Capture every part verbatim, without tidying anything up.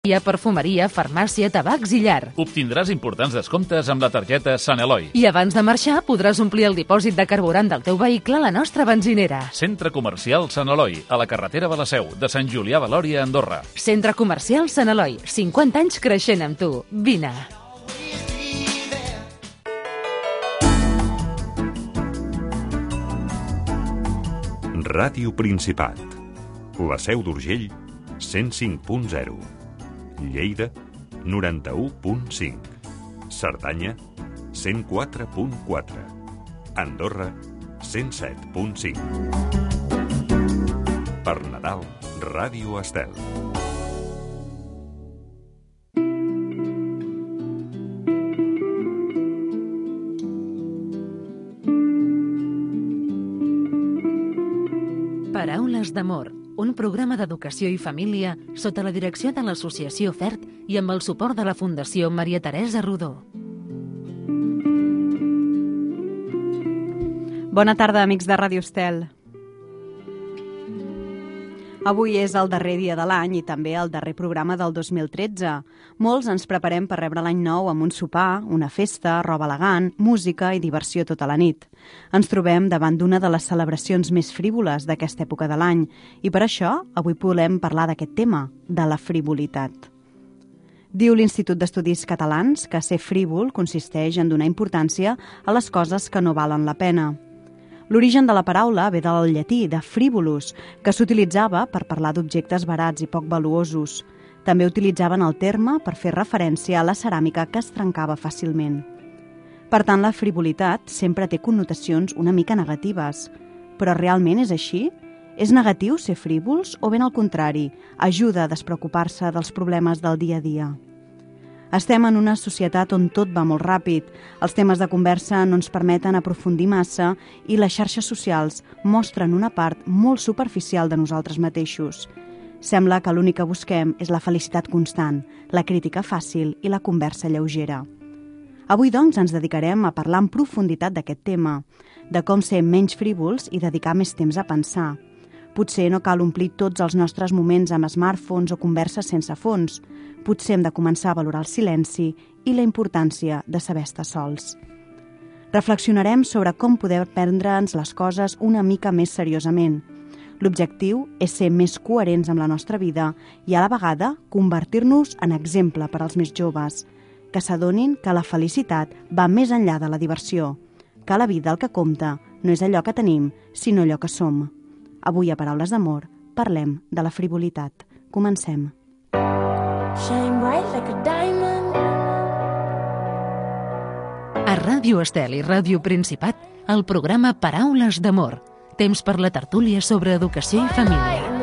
perfumeria, farmàcia, tabacs i llar. Obtindràs importants descomptes amb la targeta Sant Eloi. I abans de marxar podràs omplir el dipòsit de carburant del teu vehicle a la nostra benzinera. Centre Comercial Sant Eloi, a la carretera de la Seu, de Sant Julià de Lòria a Andorra. Centre Comercial Sant Eloi, cinquanta anys creixent amb tu. Vine. Ràdio Principat. La Seu d'Urgell, cent cinc punt zero. Lleida, noranta-u punt cinc. Cerdanya, cent quatre punt quatre. Andorra, cent set punt cinc. Per Nadal, Ràdio Estel. Paraules d'amor, un programa d'educació i família sota la direcció de l'Associació FERT i amb el suport de la Fundació Maria Teresa Rodó. Bona tarda, amics de Ràdio Estel. Avui és el darrer dia de l'any i també el darrer programa del dos mil tretze. Molts ens preparem per rebre l'any nou amb un sopar, una festa, roba elegant, música i diversió tota la nit. Ens trobem davant d'una de les celebracions més frívoles d'aquesta època de l'any i per això avui volem parlar d'aquest tema, de la frivolitat. Diu l'Institut d'Estudis Catalans que ser frívol consisteix en donar importància a les coses que no valen la pena. L'origen de la paraula ve del llatí, de frivolus, que s'utilitzava per parlar d'objectes barats i poc valuosos. També utilitzaven el terme per fer referència a la ceràmica que es trencava fàcilment. Per tant, la frivolitat sempre té connotacions una mica negatives. Però realment és així? És negatiu ser frívols o ben al contrari, ajuda a despreocupar-se dels problemes del dia a dia? Estem en una societat on tot va molt ràpid, els temes de conversa no ens permeten aprofundir massa i les xarxes socials mostren una part molt superficial de nosaltres mateixos. Sembla que l'únic que busquem és la felicitat constant, la crítica fàcil i la conversa lleugera. Avui, doncs, ens dedicarem a parlar en profunditat d'aquest tema, de com ser menys frívols i dedicar més temps a pensar. Potser no cal omplir tots els nostres moments amb smartphones o converses sense fons. Potser hem de començar a valorar el silenci i la importància de saber estar sols. Reflexionarem sobre com poder prendre'ns les coses una mica més seriosament. L'objectiu és ser més coherents amb la nostra vida i a la vegada convertir-nos en exemple per als més joves, que s'adonin que la felicitat va més enllà de la diversió, que la vida el que compta no és allò que tenim, sinó allò que som. Avui a Paraules d'Amor parlem de la frivolitat. Comencem. Shine bright like a diamond. A Ràdio Estel i Ràdio Principat, el programa Paraules d'Amor. Temps per la tertúlia sobre educació i família.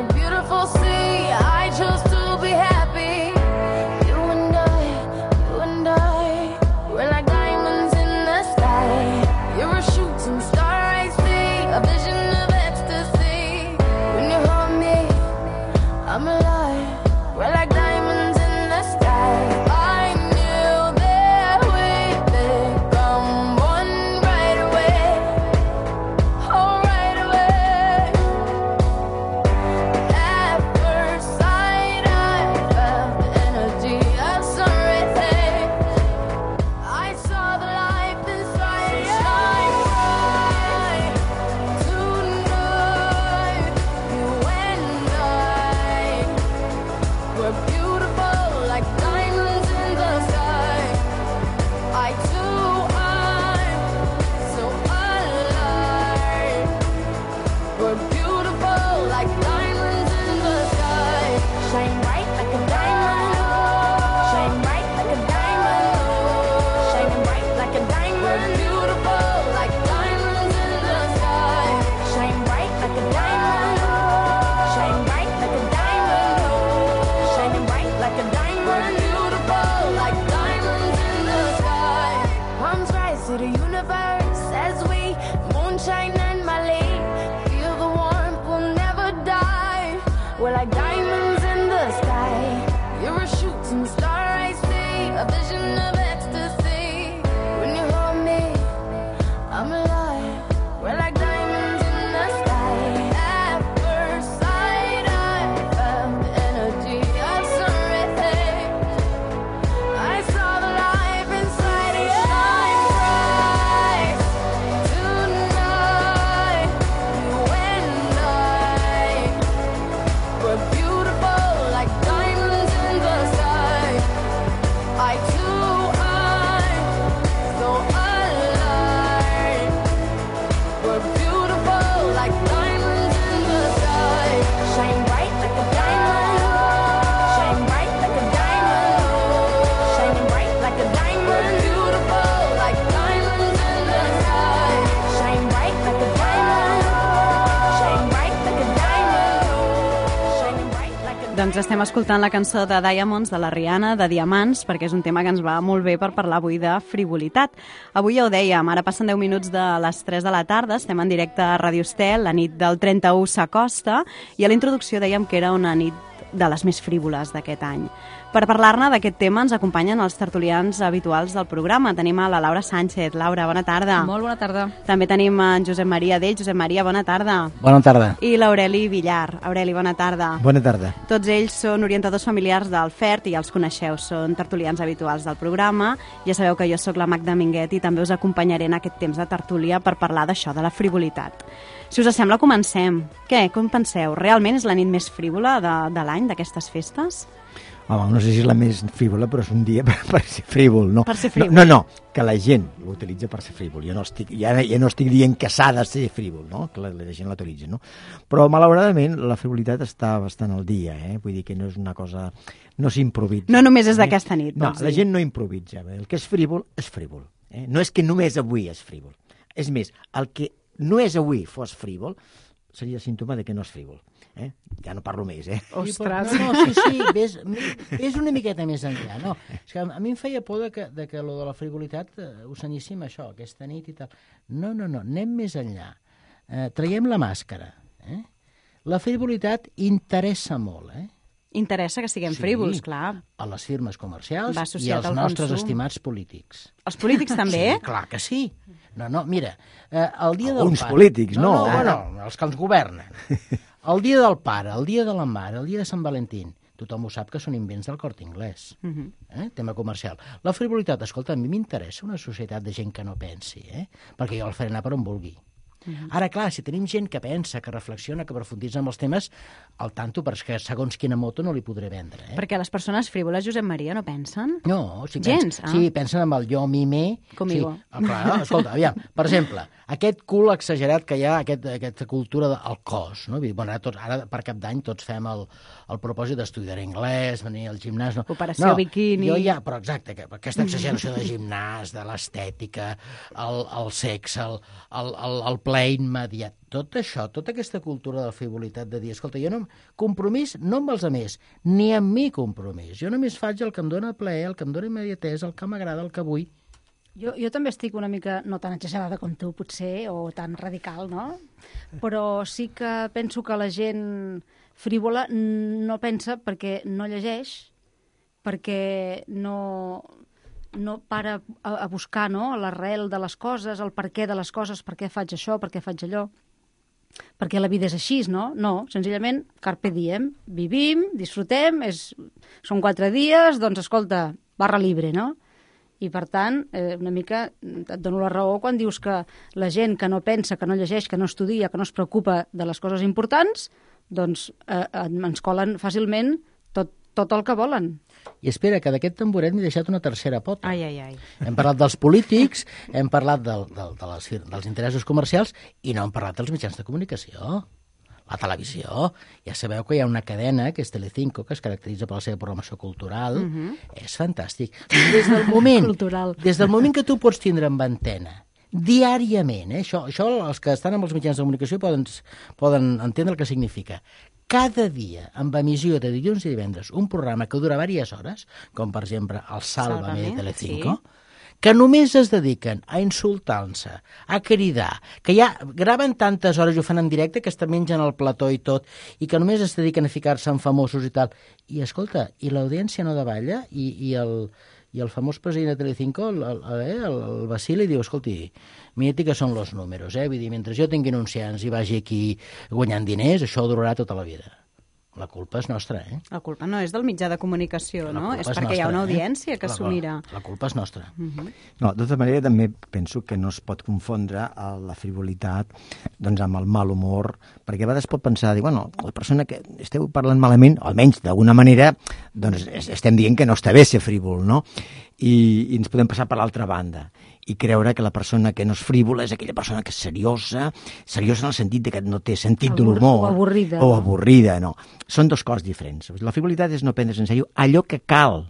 Doncs estem escoltant la cançó de Diamonds, de la Rihanna, de Diamants, perquè és un tema que ens va molt bé per parlar avui de frivolitat. Avui ja ho dèiem, ara passen deu minuts de les tres de la tarda, estem en directe a Ràdio Estel, la nit del trenta-u s'acosta, i a la introducció dèiem que era una nit de les més frívoles d'aquest any. Per parlar-ne d'aquest tema ens acompanyen els tertulians habituals del programa. Tenim a la Laura Sánchez. Laura, bona tarda. Molt bona tarda. També tenim en Josep Maria Dell. Josep Maria, bona tarda. Bona tarda. I l'Aureli Villar. Aureli, bona tarda. Bona tarda. Tots ells són orientadors familiars del F E R T i ja els coneixeu, són tertulians habituals del programa. Ja sabeu que jo sóc la Magda Minguet i també us acompanyaré en aquest temps de tertúlia per parlar d'això, de la frivolitat. Si us sembla, comencem. Què? Com penseu? Realment és la nit més frívola de, de l'any, d'aquestes festes? Home, no sé si és la més frívola, però és un dia per, per ser frívol. No. Per ser frívol. No, no, no, que la gent l'utilitza per ser frívol. Jo no estic, ja, ja no estic dient que s'ha de ser frívol, no? Que la, la gent l'autoritza, no? Però, malauradament, la frivolitat està bastant al dia, eh? Vull dir que no és una cosa... No s'improvisa. No només és d'aquesta nit, No, la gent no improvisa. El que és frívol, és frívol. Eh? No és que només avui és frívol. És més, el que no és avui fos frívol seria símptoma de que no és frívol. Eh? Ja no parlo més, eh? Ostres! No, no, sí, sí, ves, ves una miqueta més enllà, no? És que a mi em feia por de que, de que lo de la frivolitat eh, ho senyíssim això, aquesta nit i tal. No, no, no, anem més enllà. Eh, traiem la màscara. Eh? La frivolitat interessa molt, eh? Interessa que siguem Sí, frívols, clar. a les firmes comercials Va i associat als al nostres consum. estimats polítics. Els polítics també? Sí, clar que sí. No, no, mira, eh, el dia del Alguns pare... polítics, no. No, no, bueno, els que ens governen. El dia del pare, el dia de la mare, el dia de Sant Valentín, tothom ho sap que són invents del Corte Inglés. Uh-huh. Eh? Tema comercial. La frivolitat, escolta, a mi m'interessa una societat de gent que no pensi, eh? Perquè jo el faré anar per on vulgui. Uh-huh. Ara, clar, si tenim gent que pensa, que reflexiona, que aprofunditza en els temes, al tanto, perquè segons quina moto no li podré vendre. Eh? Perquè les persones frívoles, Josep Maria, no pensen? No, si Gens, pens, ah. sí, pensen amb el jo, mi, me... Conmigo. Sí. Ah, clar, no? Escolta, aviam, per exemple, aquest cul exagerat que hi ha, aquest, aquesta cultura del cos, no? Vull dir, bueno, ara, tots, ara per cap d'any tots fem el, el propòsit d'estudiar anglès, venir al gimnàs... No. Operació no, biquini... Jo ja, però exacte, que, aquesta exageració de gimnàs, de l'estètica, el, el sexe, el, el, el, el ple immediat, tot això, tota aquesta cultura de frivolitat de dir, escolta, jo no... Compromís no amb els altres, ni amb mi compromís. Jo només faig el que em dóna plaer, el que em dóna immediatesa, el que m'agrada, el que vull. Jo, jo també estic una mica, no tan exagerada com tu, potser, o tan radical, no? Però sí que penso que la gent frívola no pensa perquè no llegeix, perquè no, no para a, a buscar, no?, l'arrel de les coses, el per què de les coses, per què faig això, per què faig allò. Perquè la vida és així, no? No, senzillament, carpe diem, vivim, disfrutem, és, són quatre dies, doncs, escolta, barra libre, no? I, per tant, eh, una mica et dono la raó quan dius que la gent que no pensa, que no llegeix, que no estudia, que no es preocupa de les coses importants, doncs eh, ens colen fàcilment tot, tot el que volen. I espera, que d'aquest tamboret m'he deixat una tercera pota. Ai, ai, ai. Hem parlat dels polítics, hem parlat del, del, de les, dels interessos comercials i no hem parlat dels mitjans de comunicació. La televisió. Ja sabeu que hi ha una cadena, que és Telecinco, que es caracteritza per la seva programació cultural. Uh-huh. És fantàstic. Des del moment, Cultural. des del moment que tu pots tindre en antena, diàriament, eh? això, això els que estan amb els mitjans de comunicació poden, poden entendre el que significa. Cada dia, amb emissió de dilluns i divendres, un programa que dura diverses hores, com per exemple el Sálvame, Sálvame, de Telecinco, sí. que només es dediquen a insultar-se, a cridar, que ja graven tantes hores i ho fan en directe que es mengen el plató i tot, i que només es dediquen a ficar-se en famosos i tal. I escolta, i l'audiència no davalla, i, i, el, i el famós president de Telecinco, el, el, el, el Basili, diu, escolti, mirati que són els números, eh? Vull dir, mentre jo tingui anunciants i vagi aquí guanyant diners, això durarà tota la vida. La culpa és nostra, eh? La culpa no és del mitjà de comunicació, La no? culpa És és perquè hi ha nostra, una eh? audiència que La- s'ho mira. La, la culpa és nostra. Uh-huh. No, de tota manera també penso que no es pot confondre el- la frivolitat doncs, amb el mal humor, perquè a vegades pot pensar, dir, bueno, la persona que esteu parlant malament, almenys d'alguna manera, doncs es- estem dient que no està bé ser frívol, no? I, i ens podem passar per l'altra banda i creure que la persona que no és frívola és aquella persona que és seriosa, seriosa en el sentit de que no té sentit de Abur- l'humor. o avorrida, O no? avorrida, no. Són dos coses diferents. La frivolitat és no prendre's en sèrio allò que cal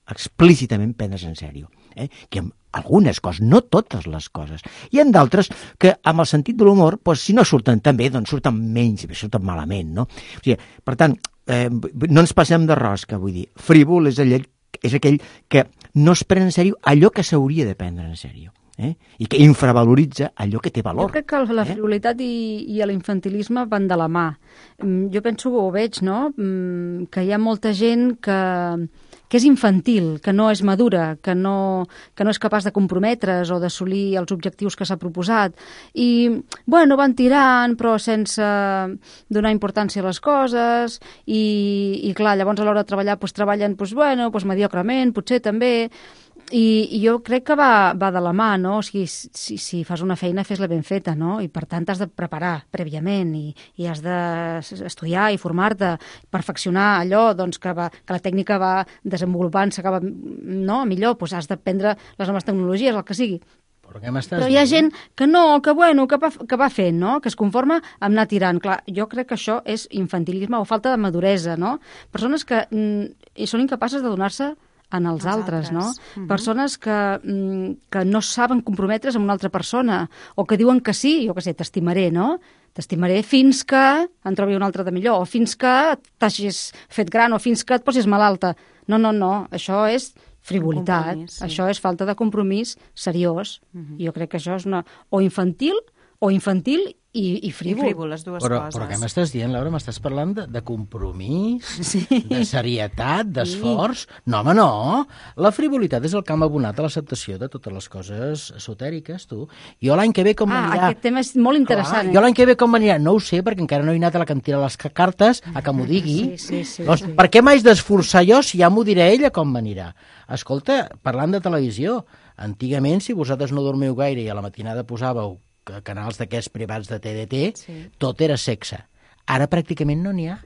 explícitament prendre's en sèrio. Eh? Que amb algunes coses, no totes les coses. Hi ha d'altres que amb el sentit de l'humor, doncs, si no surten tan bé, doncs surten menys, surten malament, no? O sigui, per tant, eh, no ens passem de rosca, vull dir. Frívol és aquell, és aquell que no es pren en sèrio allò que s'hauria de prendre en sèrio. Eh? I que infravaloritza allò que té valor. Jo crec que la frivolitat eh? i, i l'infantilisme van de la mà. Jo penso, ho veig, no?, que hi ha molta gent que, que és infantil, que no és madura, que no, que no és capaç de comprometre's o d'assolir els objectius que s'ha proposat. I, bueno, van tirant, però sense donar importància a les coses, i, i clar, llavors a l'hora de treballar, doncs treballen, doncs, bueno, doncs mediocrement, potser també. I, i jo crec que va, va de la mà, no? O sigui, si, si fas una feina, fes-la ben feta, no? I per tant t'has de preparar prèviament i, i has d'estudiar i formar-te, perfeccionar allò, doncs, que, va, que la tècnica va desenvolupant, s'acaba, no? Millor, doncs has d'aprendre les noves tecnologies, el que sigui. Però, Però hi ha gent que no, que bueno, que va, que va fent, no? Que es conforma amb anar tirant. Clar, jo crec que això és infantilisme o falta de maduresa, no? Persones que mm, són incapaces de donar-se en els, els altres, altres, no? Uh-huh. Persones que, que no saben comprometre's amb una altra persona, o que diuen que sí, jo què sé, t'estimaré, no? T'estimaré fins que en trobi un altre de millor, o fins que t'hagis fet gran, o fins que et posis malalta. No, no, no, això és frivolitat, sí. Això és falta de compromís seriós. Uh-huh. Jo crec que això és una... o infantil, o infantil i, i frívol. I frívol, les dues però, coses. Però què m'estàs dient, Laura? M'estàs parlant de, de compromís, sí. de serietat, d'esforç? Sí. No, home, no. La frivolitat és el camp abonat a l'acceptació de totes les coses esotèriques, tu. Jo l'any que ve com ah, m'anirà... aquest tema és molt interessant. Clar, eh? Jo l'any que ve com m'anirà, no ho sé, perquè encara no he anat a la cantina de les cartes a que m'ho digui. Sí, sí, sí, doncs, sí. Per què m'haig d'esforçar jo si ja m'ho diré ella com m'anirà? Escolta, parlant de televisió, antigament, si vosaltres no dormiu gaire i a la matinada posàveu canals d'aquests privats de T D T, sí. Tot era sexe. Ara pràcticament no n'hi ha.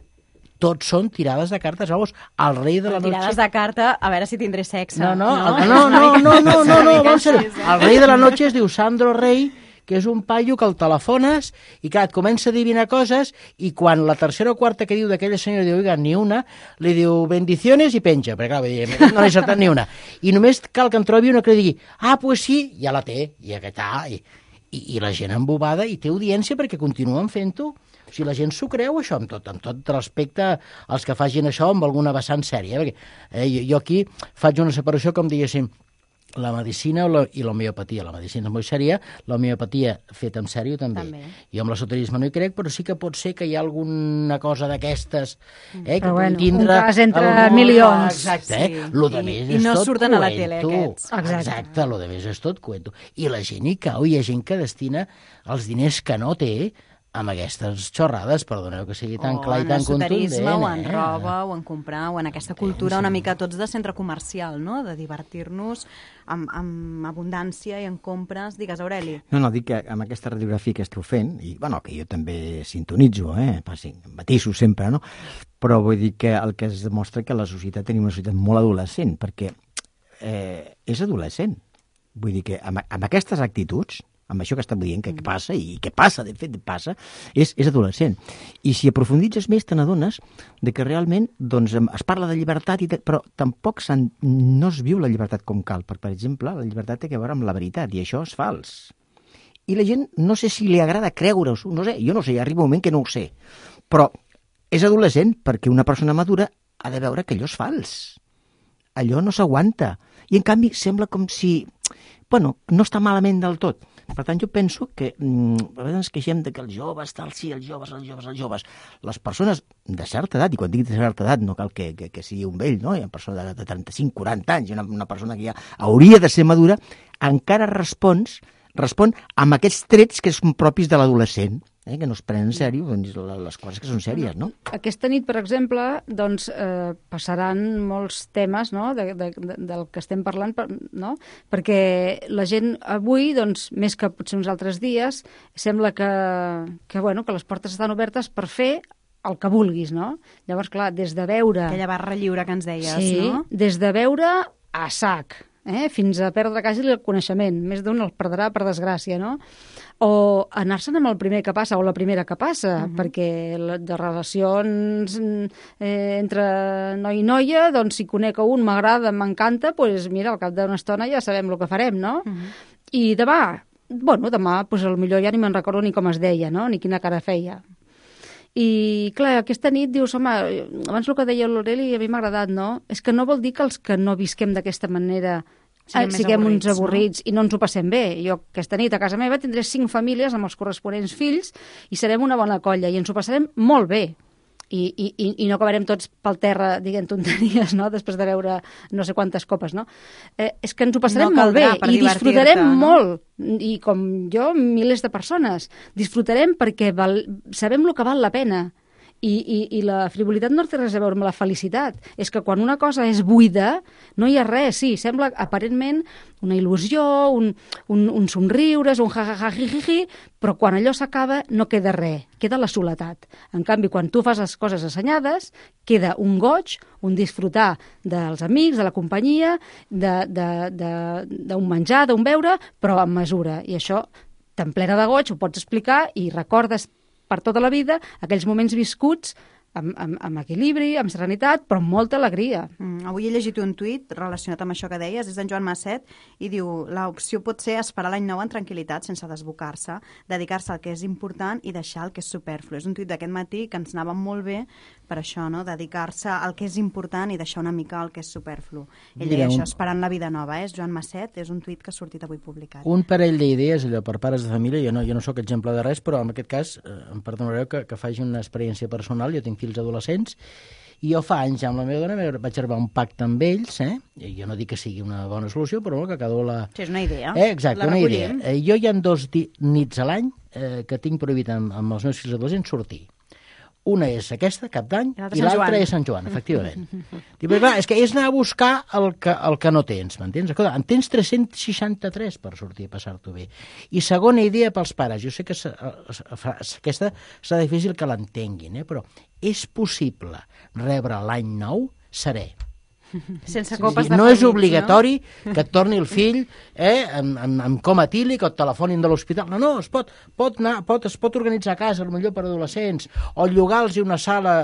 Tots són tirades de cartes. Vamos, el rei de la noche... Tirades de carta, a veure si tindré sexe. No, no, no, no, no, no, no, no, no, no ser... El rei de la noche es diu Sandro Rey, que és un paio que el telefones i que et comença a adivinar coses i quan la tercera o quarta que diu d'aquella senyora diu, oiga, ni una, li diu bendiciones i penja, perquè clar, no n'he acertat ni una. I només cal que en trobi una que li digui, ah, pues sí, ja la té, i aquest, ah, i... I, i la gent embobada i té audiència perquè continuen fent-ho. O sigui, la gent s'ho creu, això, amb tot, amb tot respecte als que facin això amb alguna vessant sèria. Perquè eh, jo, jo aquí faig una separació, com diguéssim, la medicina la, i l'homeopatia. La medicina és molt sèria, l'homeopatia feta en sèrio també. també. Jo amb l'esoterisme no hi crec, però sí que pot ser que hi ha alguna cosa d'aquestes eh, que bueno, tindre... un cas entre el... milions. Exacte, sí. eh? Lo de més I, és i no tot surten cuento. A la tele, aquests. Exacte. Exacte, lo de més és tot cuento. I la gent hi cau, hi ha gent que destina els diners que no té amb aquestes xorrades, perdoneu que sigui tan o clar i tan contundent. O en eh? roba, o en comprar, o en aquesta cultura una mica tots de centre comercial, no?, de divertir-nos amb, amb abundància i en compres. Digues, Aureli. No, no, dic que amb aquesta radiografia que esteu fent, i bueno, que jo també sintonitzo, eh, sí, matiso sempre, no?, però vull dir que el que es demostra que la societat tenim una societat molt adolescent, perquè eh, és adolescent. Vull dir que amb, amb aquestes actituds, amb això que estem dient, que, que passa, i que passa, de fet, passa, és, és adolescent. I si aprofunditzes més, te n'adones de que realment doncs, es parla de llibertat, i de, però tampoc no es viu la llibertat com cal. Per, per exemple, la llibertat té a veure amb la veritat, i això és fals. I la gent, no sé si li agrada creure-ho, no sé, jo no sé, arriba un moment que no ho sé. Però és adolescent perquè una persona madura ha de veure que allò és fals. Allò no s'aguanta. I, en canvi, sembla com si... Bueno, no està malament del tot. Per tant, jo penso que mm, a vegades ens queixem de que els joves, tal, sí, els joves, els joves, els joves. Les persones de certa edat, i quan dic de certa edat no cal que, que, que sigui un vell, no? Hi ha persones de, de trenta-cinc, quaranta anys, una, una persona que ja hauria de ser madura, encara respons, respon amb aquests trets que són propis de l'adolescent, eh? Que no es prenen en sèrio doncs, les coses que són sèries, no? Aquesta nit, per exemple, doncs, eh, passaran molts temes, no?, de, de, de, del que estem parlant, no?, perquè la gent avui, doncs, més que potser uns altres dies, sembla que, que, bueno, que les portes estan obertes per fer el que vulguis, no? Llavors, clar, des de veure... Aquella barra lliure que ens deies, sí, no? Des de veure a sac, eh? Fins a perdre quasi el coneixement. Més d'un el perdrà per desgràcia, no? O anar-se'n amb el primer que passa o la primera que passa, uh-huh. perquè de relacions eh, entre noi i noia, doncs si conec a un, m'agrada, m'encanta, doncs mira, al cap d'una estona ja sabem el que farem, no? Uh-huh. I demà, bueno, demà, doncs potser ja ni me'n recordo ni com es deia, no?, ni quina cara feia. I, clar, aquesta nit dius, home, abans el que deia l'Aureli a mi m'ha agradat, no? És que no vol dir que els que no visquem d'aquesta manera siguem, siguem avorrits, uns avorrits, no? I no ens ho passem bé. Jo aquesta nit a casa meva tindré cinc famílies amb els corresponents fills i serem una bona colla i ens ho passarem molt bé. I, i, i no acabarem tots pel terra dient tonteries, no?, després de veure no sé quantes copes, no? Eh, és que ens ho passarem no molt bé i disfrutarem no? molt, i com jo, milers de persones. Disfrutarem perquè val, sabem el que val la pena. I, i, i la frivolitat no té res a veure amb la felicitat. És que quan una cosa és buida, no hi ha res. Sí, sembla aparentment una il·lusió, un, un, un somriures, un ja-ja-ja-ji-ji-ji, però quan allò s'acaba no queda res, queda la soledat. En canvi, quan tu fas les coses assenyades, queda un goig, un disfrutar dels amics, de la companyia, d'un menjar, d'un beure, però amb mesura. I això, tan plena de goig, ho pots explicar i recordes per tota la vida aquells moments viscuts amb, amb, amb equilibri, amb serenitat, però amb molta alegria. Mm, avui he llegit un tuit relacionat amb això que deies, és d'en Joan Masset, i diu, l'opció pot ser esperar l'any nou en tranquil·litat, sense desbocar-se, dedicar-se al que és important i deixar el que és superflu. És un tuit d'aquest matí que ens anava molt bé per això, no?, dedicar-se al que és important i deixar una mica el que és superflu. Ell deia això, esperant la vida nova, eh? És Joan Masset, és un tuit que ha sortit avui publicat. Un parell d'idees, allò, per pares de família, jo no, jo no sóc exemple de res, però en aquest cas, eh, em perdonareu que, que faci una experiència personal, jo tinc fills adolescents, i jo fa anys amb la meva dona vaig arribar a un pacte amb ells, eh? I jo no dic que sigui una bona solució, però que cada un la... Sí, és una idea. Eh, exacte, una idea. Eh, jo hi ha dos nits a l'any eh, que tinc prohibit amb, amb els meus fills adolescents sortir. Una és aquesta, Cap d'Any, i l'altra és Sant Joan, efectivament. Dic, però clar, és que és anar a buscar el que, el que no tens, m'entens? Escolta, en tens tres-cents seixanta-tres per sortir a passar-t'ho bé. I segona idea pels pares, jo sé que s, s, s, aquesta serà difícil que l'entenguin, eh? Però és possible rebre l'any nou serè. Sense copes de no és obligatori no? que et torni el fill eh, amb, amb, amb coma etílic o et telefonin de l'hospital. No, no, es pot, pot anar, pot, es pot organitzar a casa, potser per adolescents, o llogar-los una sala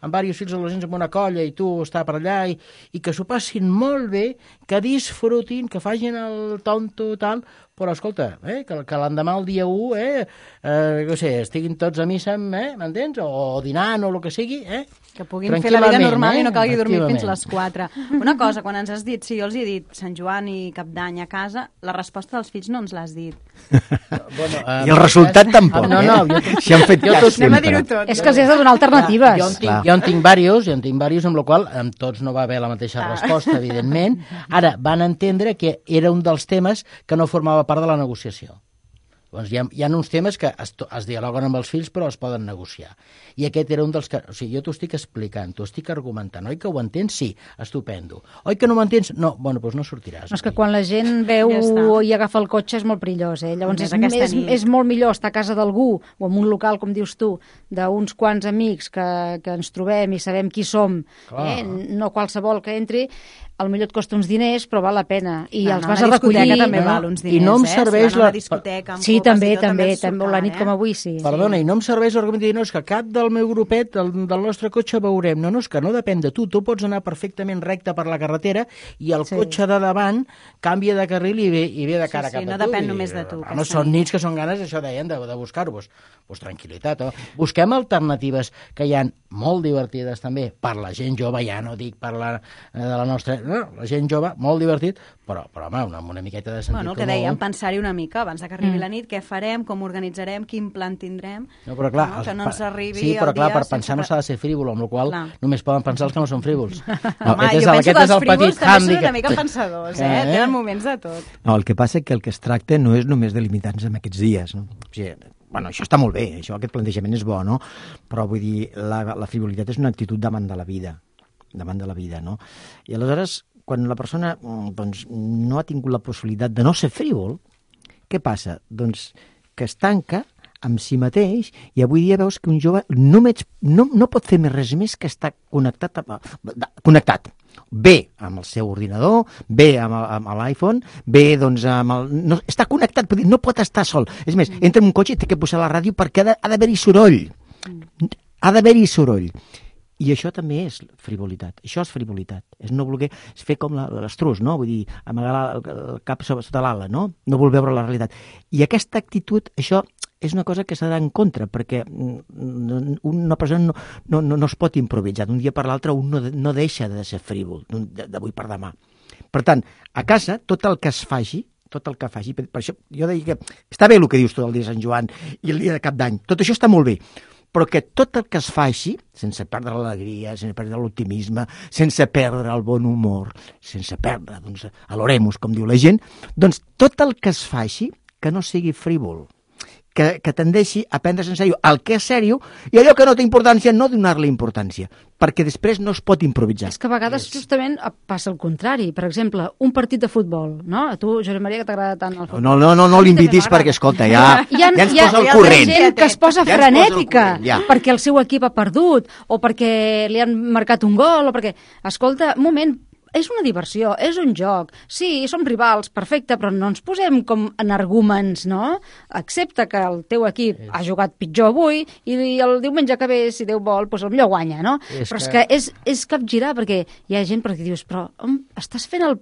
amb diversos fills adolescents amb una colla i tu estar per allà i, i que s'ho passin molt bé, que disfrutin, que facin el tonto tal, però escolta, eh, que, que l'endemà el dia u, eh, eh, no sé, estiguin tots a missa, eh, m'entens? O, o dinant o el que sigui, eh? Que puguin fer la vida normal eh? I no calgui dormir fins les quatre. Una cosa, quan ens has dit, si jo els he dit Sant Joan i Cap d'Any a casa, la resposta dels fills no ens l'has dit. Bueno, uh, I el resultat cas... tampoc, no, no, eh? Jo, si han fet jo cas sempre. Dir-ho tot. És que els has de donar alternatives. Jo en tinc, jo en tinc diversos, jo en tinc diversos, amb la qual amb tots no va haver la mateixa ah. resposta, evidentment. Ara, van entendre que era un dels temes que no formava part de la negociació. Doncs hi ha, hi ha uns temes que es, es dialoguen amb els fills però es poden negociar. I aquest era un dels que... O sigui, jo t'ho estic explicant, t'ho estic argumentant. Oi que ho entens? Sí, estupendo. Oi que no ho entens? No, bueno, doncs no sortiràs. No, és que quan la gent veu ja i agafa el cotxe és molt perillós, eh? Llavors és, és, és molt millor estar a casa d'algú o en un local, com dius tu, d'uns quants amics que, que ens trobem i sabem qui som, eh? No qualsevol que entri, al millor et costa uns diners, però val la pena. I no, els vas a recollir. També no? Val uns diners, I no em eh? serveix si la... discoteca, sí, també, també, també, també, la nit eh? com avui, sí. Perdona, sí. I no em serveix l'argument de dir, no, és que cap del meu grupet, del, del nostre cotxe veurem. No, no, és que no depèn de tu. Tu pots anar perfectament recte per la carretera i el sí. cotxe de davant canvia de carril i ve, i ve de cara sí, sí, cap no a tu. No depèn I, només de tu. No, són nits que són ganes, això deien, de, de buscar-vos. Pues tranquil·litat. Oh. Busquem alternatives que hi ha molt divertides també per la gent jove, ja no dic per la, de la nostra... No, la gent jove, molt divertit, però, però home, una, una miqueta de sentit bueno, el que dèiem, pensar-hi una mica abans que arribi mm. la nit, què farem, com organitzarem, quin plan tindrem, no, però clar, no? que no ens arribi sí, però el clar, dia... per pensar no s'ha de ser frívol, amb la qual cosa només poden pensar els que no són frívols. No, Home, jo penso que els frívols també són una mica pensadors, eh? eh? Tenen moments de tot. No, el que passa és que el que es tracta no és només de limitar-nos en aquests dies, no? O sigui, bueno, això està molt bé, això, aquest plantejament és bo, no? Però vull dir, la, la frivolitat és una actitud davant de la vida, davant de la vida, no? I aleshores, quan la persona doncs, no ha tingut la possibilitat de no ser frívol, què passa? Doncs que es tanca amb si mateix i avui dia veus que un jove només, no, no pot fer més res més que estar connectat, a, connectat. Bé amb el seu ordinador, bé amb, amb l'iPhone, bé doncs amb el... No, està connectat, no pot estar sol. És més, entra en un cotxe i té que posar la ràdio perquè ha d'haver-hi soroll. Ha d'haver-hi soroll. I això també és frivolitat. Això és frivolitat. És no voler és fer com l'estrus, no? Vull dir, amagar el cap sota l'ala, no? No vol veure la realitat. I aquesta actitud, això és una cosa que s'ha d'anar en contra, perquè una persona no, no, no, no es pot improvisar. D'un dia per l'altre un no, no deixa de ser frívol, d'avui per demà. Per tant, a casa, tot el que es faci, tot el que faci, per això jo deia que està bé el que dius tu del dia de Sant Joan i el dia de Cap d'Any, tot això està molt bé, però que tot el que es faci, sense perdre l'alegria, sense perdre l'optimisme, sense perdre el bon humor, sense perdre, doncs, l'oremus, com diu la gent, doncs tot el que es faci que no sigui frívol, que, que tendeixi a prendre's en sèrio el que és sèrio i allò que no té importància, no donar-li importància, perquè després no es pot improvisar. És que a vegades justament passa el contrari. Per exemple, un partit de futbol, no? A tu, Josep Maria, que t'agrada tant el futbol. No, no, no, no l'invitis perquè, escolta, ja, ja, ja ens posa al corrent. Hi ha gent que es posa ja frenètica ja. perquè el seu equip ha perdut o perquè li han marcat un gol o perquè... Escolta, un moment, és una diversió, és un joc. Sí, som rivals, perfecte, però no ens posem com energúmens, no? Accepta que el teu equip ha jugat pitjor avui i el diumenge que ve, si Déu vol, doncs el millor guanya, no? És però és que, que és, és capgirar, perquè hi ha gent perquè dius, però on estàs fent el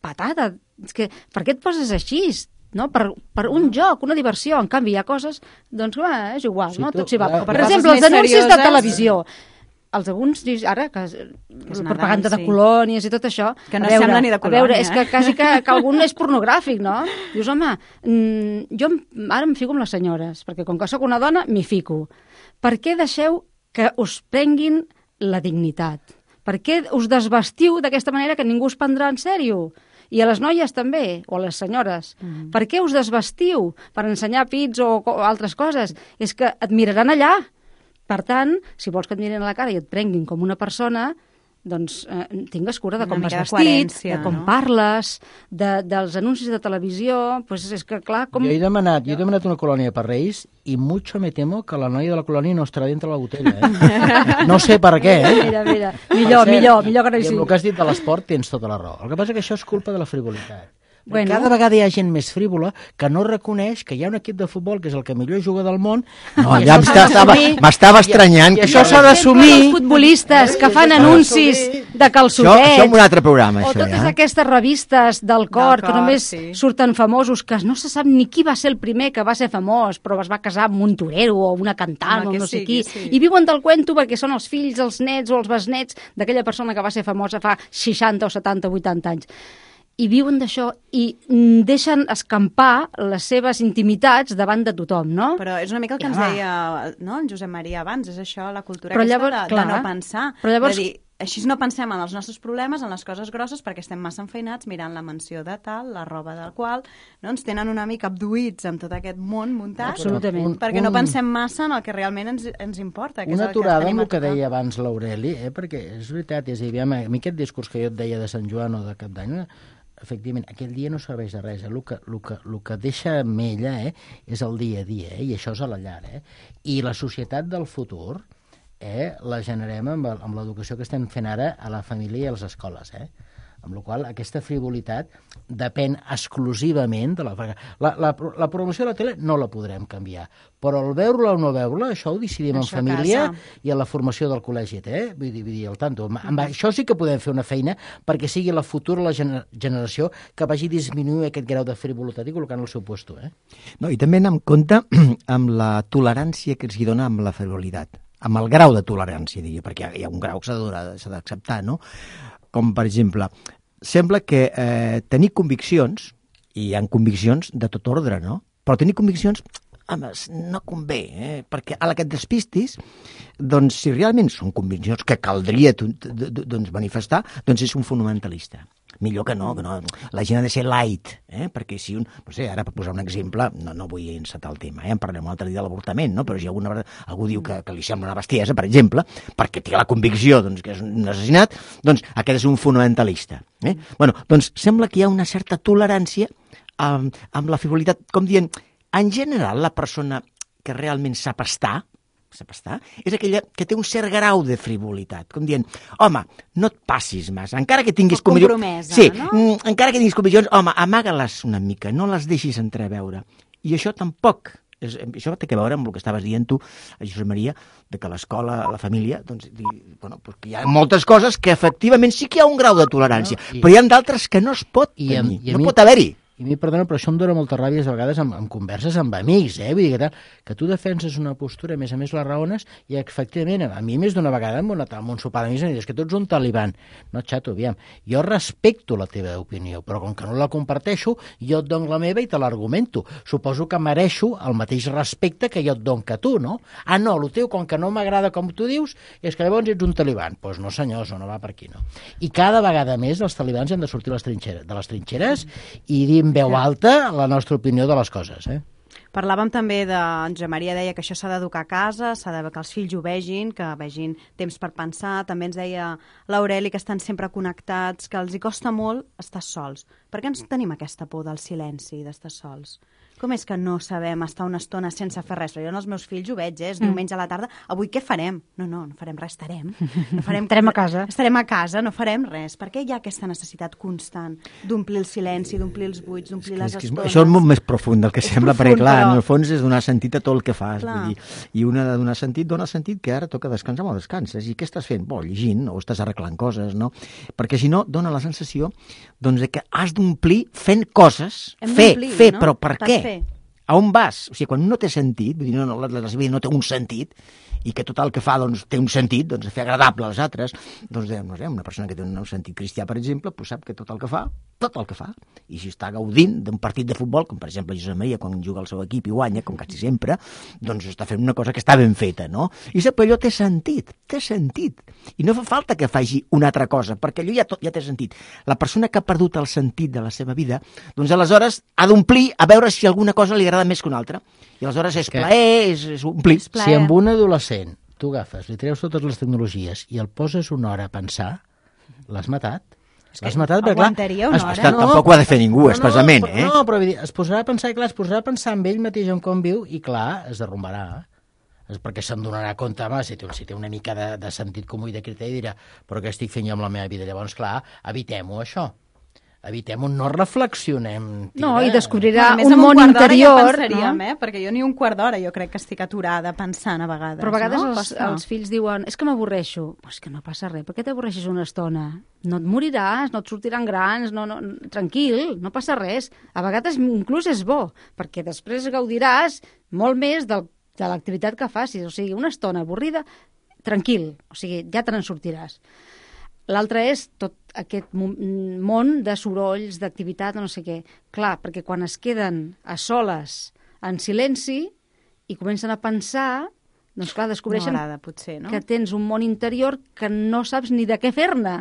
patata? És que, per què et poses així? No? Per, per un joc, una diversió. En canvi, hi ha coses, doncs, va, és igual, si no? Tot s'hi va. Per, per exemple, els anuncis serioses... de televisió. Els alguns, ara, que, que és propaganda Nadal, sí. de colònies i tot això... Que no veure, sembla ni de colònia. A veure, és que quasi que, que algun és pornogràfic, no? Dius, home, mmm, jo ara em fico amb les senyores, perquè com que sóc una dona, m'hi fico. Per què deixeu que us prenguin la dignitat? Per què us desvestiu d'aquesta manera que ningú us prendrà en sèrio? I a les noies també, o a les senyores. Mm. Per què us desvestiu? Per ensenyar pits o, o altres coses? És que et miraran allà. Per tant, si vols que et mirin a la cara i et prenguin com una persona, doncs eh, tingues cura de com vas vestit, de com no? parles, de, dels anuncis de televisió, doncs és que clar... Com... Jo he demanat, jo he demanat una colònia per Reis i mucho me temo que la noia de la colònia no estarà dintre la botella, eh? No sé per què, eh? Mira, mira, millor, millor, millor que no hi sigui. I amb el que has dit de l'esport tens tota la raó. El que passa és que això és culpa de la frivolitat. Bueno. Cada vegada hi ha gent més frívola que no reconeix que hi ha un equip de futbol que és el que millor juga del món. No, ja m'estava estranyant. I això s'ha d'assumir. Els futbolistes que fan anuncis de calçotets. Això, això és un altre programa, o això, totes ja. aquestes revistes del cor, del que només cor, sí. surten famosos, que no se sap ni qui va ser el primer que va ser famós, però es va casar amb un torero o una cantant o no sé sigui, qui. Sí. I viuen del cuento perquè són els fills, els nets o els besnets d'aquella persona que va ser famosa fa seixanta o setanta o vuitanta anys. I viuen d'això i deixen escampar les seves intimitats davant de tothom, no? Però és una mica el que ja, ens va. deia no, en Josep Maria abans, és això, la cultura però aquesta llavors, de, clar, de no pensar. Però llavors... De dir, així no pensem en els nostres problemes, en les coses grosses, perquè estem massa enfeinats mirant la mansió de tal, la roba del qual, no? Ens tenen una mica abduïts amb tot aquest món muntat, absolutament. perquè no pensem massa en el que realment ens, ens importa. Que una és el aturada que amb el que deia abans l'Aureli, eh? Perquè és veritat, és a dir, a mi aquest discurs que jo et deia de Sant Joan o de Cap d'Any, efectivament, aquell dia no serveix de res. Eh? El, que, el, que, el que deixa mella eh, és el dia a dia, eh? I això és a la llar. Eh? I la societat del futur eh, la generem amb, amb l'educació que estem fent ara a la família i a les escoles. Eh? Amb la qual aquesta frivolitat depèn exclusivament de la... La, la, la programació de la tele no la podrem canviar, però el veure-la o no veure-la, això ho decidim això en família casa. I a la formació del col·legi, eh? Vull dir, vull dir el tanto. Amb, amb això sí que podem fer una feina perquè sigui la futura la gener generació que vagi disminuir aquest grau de frivolitat i col·locant al seu puesto. Eh? No, i també anem en compte amb la tolerància que els hi dona amb la frivolitat, amb el grau de tolerància, diria, perquè hi ha un grau que s'ha d'acceptar, no? Com, per exemple, sembla que eh, tenir conviccions, i hi ha conviccions de tot ordre, no? Però tenir conviccions, home, no convé, eh? Perquè a la que et despistis, doncs, si realment són conviccions que caldria doncs, manifestar, doncs és un fonamentalista. Millor que no, que no. La gent ha de ser light, eh? Perquè si un... No sé, ara per posar un exemple, no, no vull encetar el tema, eh? En parlem un altre dia de l'avortament, no? Però si alguna vegada algú diu que, que li sembla una bestiesa, per exemple, perquè té la convicció doncs, que és un assassinat, doncs aquest és un fonamentalista. Eh? Bueno, doncs sembla que hi ha una certa tolerància amb, amb la frivolitat, com dient, en general la persona que realment sap estar, sap estar, és aquella que té un cert grau de frivolitat, com dient, home, no et passis massa, encara que tinguis conviccions... Sí, no? encara que tinguis conviccions, home, amaga-les una mica, no les deixis entreveure. I això tampoc, és, això té a veure amb el que estaves dient tu, Josep Maria, de que l'escola, la família, doncs, di, bueno, perquè hi ha moltes coses que efectivament sí que hi ha un grau de tolerància, no? I, però hi ha d'altres que no es pot tenir, i a, i a no mi... pot haver-hi. I a mi, perdona, però això em dóna molta ràbia a vegades amb, amb converses amb amics, eh? Vull dir que, tal, que tu defenses una postura, a més a més la raones, i efectivament, a mi més d'una vegada amb, una, amb un sopar d'amics em dius que tu ets un taliban. No, xato, aviam, jo respecto la teva opinió, però com que no la comparteixo, jo et dono la meva i te l'argumento. Suposo que mereixo el mateix respecte que jo et dono que tu, no? Ah, no, el teu, com que no m'agrada com tu dius, és que llavors ets un taliban. Doncs pues no, senyor, això no va per aquí, no? I cada vegada més els talibans han de sortir les trinxeres, de les trinxeres i dir en veu alta la nostra opinió de les coses, eh? Parlàvem també de... En Josep Maria deia que això s'ha d'educar a casa, s'ha de que els fills ho vegin, que vegin temps per pensar. També ens deia l'Aureli que estan sempre connectats, que els hi costa molt estar sols. Per què ens tenim aquesta por del silenci, d'estar sols? Com és que no sabem estar una estona sense fer res? Jo en els meus fills ho veig, eh? És mm. diumenge a la tarda. Avui què farem? No, no, no farem res, estarem. No farem... estarem a casa. Estarem a casa, no farem res. Per què hi ha aquesta necessitat constant d'omplir el silenci, d'omplir els buits, d'omplir les és que, estones? això és molt més profund del que és sembla, profund, perquè clar, però... en el fons és donar sentit a tot el que fas. Vull dir, I una de donar sentit dona sentit que ara toca descansar, molt descanses. I què estàs fent? Bo, llegint, o estàs arreglant coses, no? Perquè si no, dona la sensació doncs, de que has d'omplir fent coses. Hem fer, fer, no? però per, per què? Fer. A on vas? O sigui, quan no té sentit, vull dir, no, no, la, la seva vida no té un sentit, i que tot el que fa doncs, té un sentit, doncs fer agradable als altres, doncs no sé, una persona que té un sentit cristià, per exemple, doncs sap que tot el que fa, tot el que fa, i si està gaudint d'un partit de futbol, com per exemple Josep Maria quan juga al seu equip i guanya, com quasi sempre, doncs està fent una cosa que està ben feta, no? I sap que allò té sentit, té sentit, i no fa falta que faci una altra cosa, perquè allò ja, tot, ja té sentit. La persona que ha perdut el sentit de la seva vida, doncs aleshores ha d'omplir a veure si alguna cosa li agrada més que una altra. I aleshores és plaer, és, és omplir. Si amb un adolescent tu agafes, li treus totes les tecnologies i el poses una hora a pensar, l'has matat. L'has matat, perquè aguantaria una hora. Es, no, tampoc ho ha de fer ningú, no, especialment, no, eh? No, però dir, es posarà a pensar, clar, es posarà a pensar amb ell mateix en com viu i, clar, es derrumbarà. És perquè se'n donarà compte, home, si té, si té una mica de, de sentit comú i de criteri, dirà, però què estic fent jo amb la meva vida? Llavors, clar, evitem-ho, això. Evitem-ho, no reflexionem. Tira. No, i descobrirà bueno, un món un interior. Ja pensaríem, no? eh? Perquè jo ni un quart d'hora jo crec que estic aturada pensant a vegades. Però a vegades no? els, els fills diuen és que m'avorreixo. Pues que no passa res, per què t'avorreixes una estona? No et moriràs, no et sortiran grans, no, no, tranquil, no passa res. A vegades inclús és bo, perquè després gaudiràs molt més del, de l'activitat que facis. O sigui, una estona avorrida, tranquil, o sigui, ja te n'en sortiràs. L'altre és tot aquest món de sorolls, d'activitat, no sé què. Clar, perquè quan es queden a soles, en silenci, i comencen a pensar, doncs clar, descobreixen no agrada, potser, no? que tens un món interior que no saps ni de què fer-ne,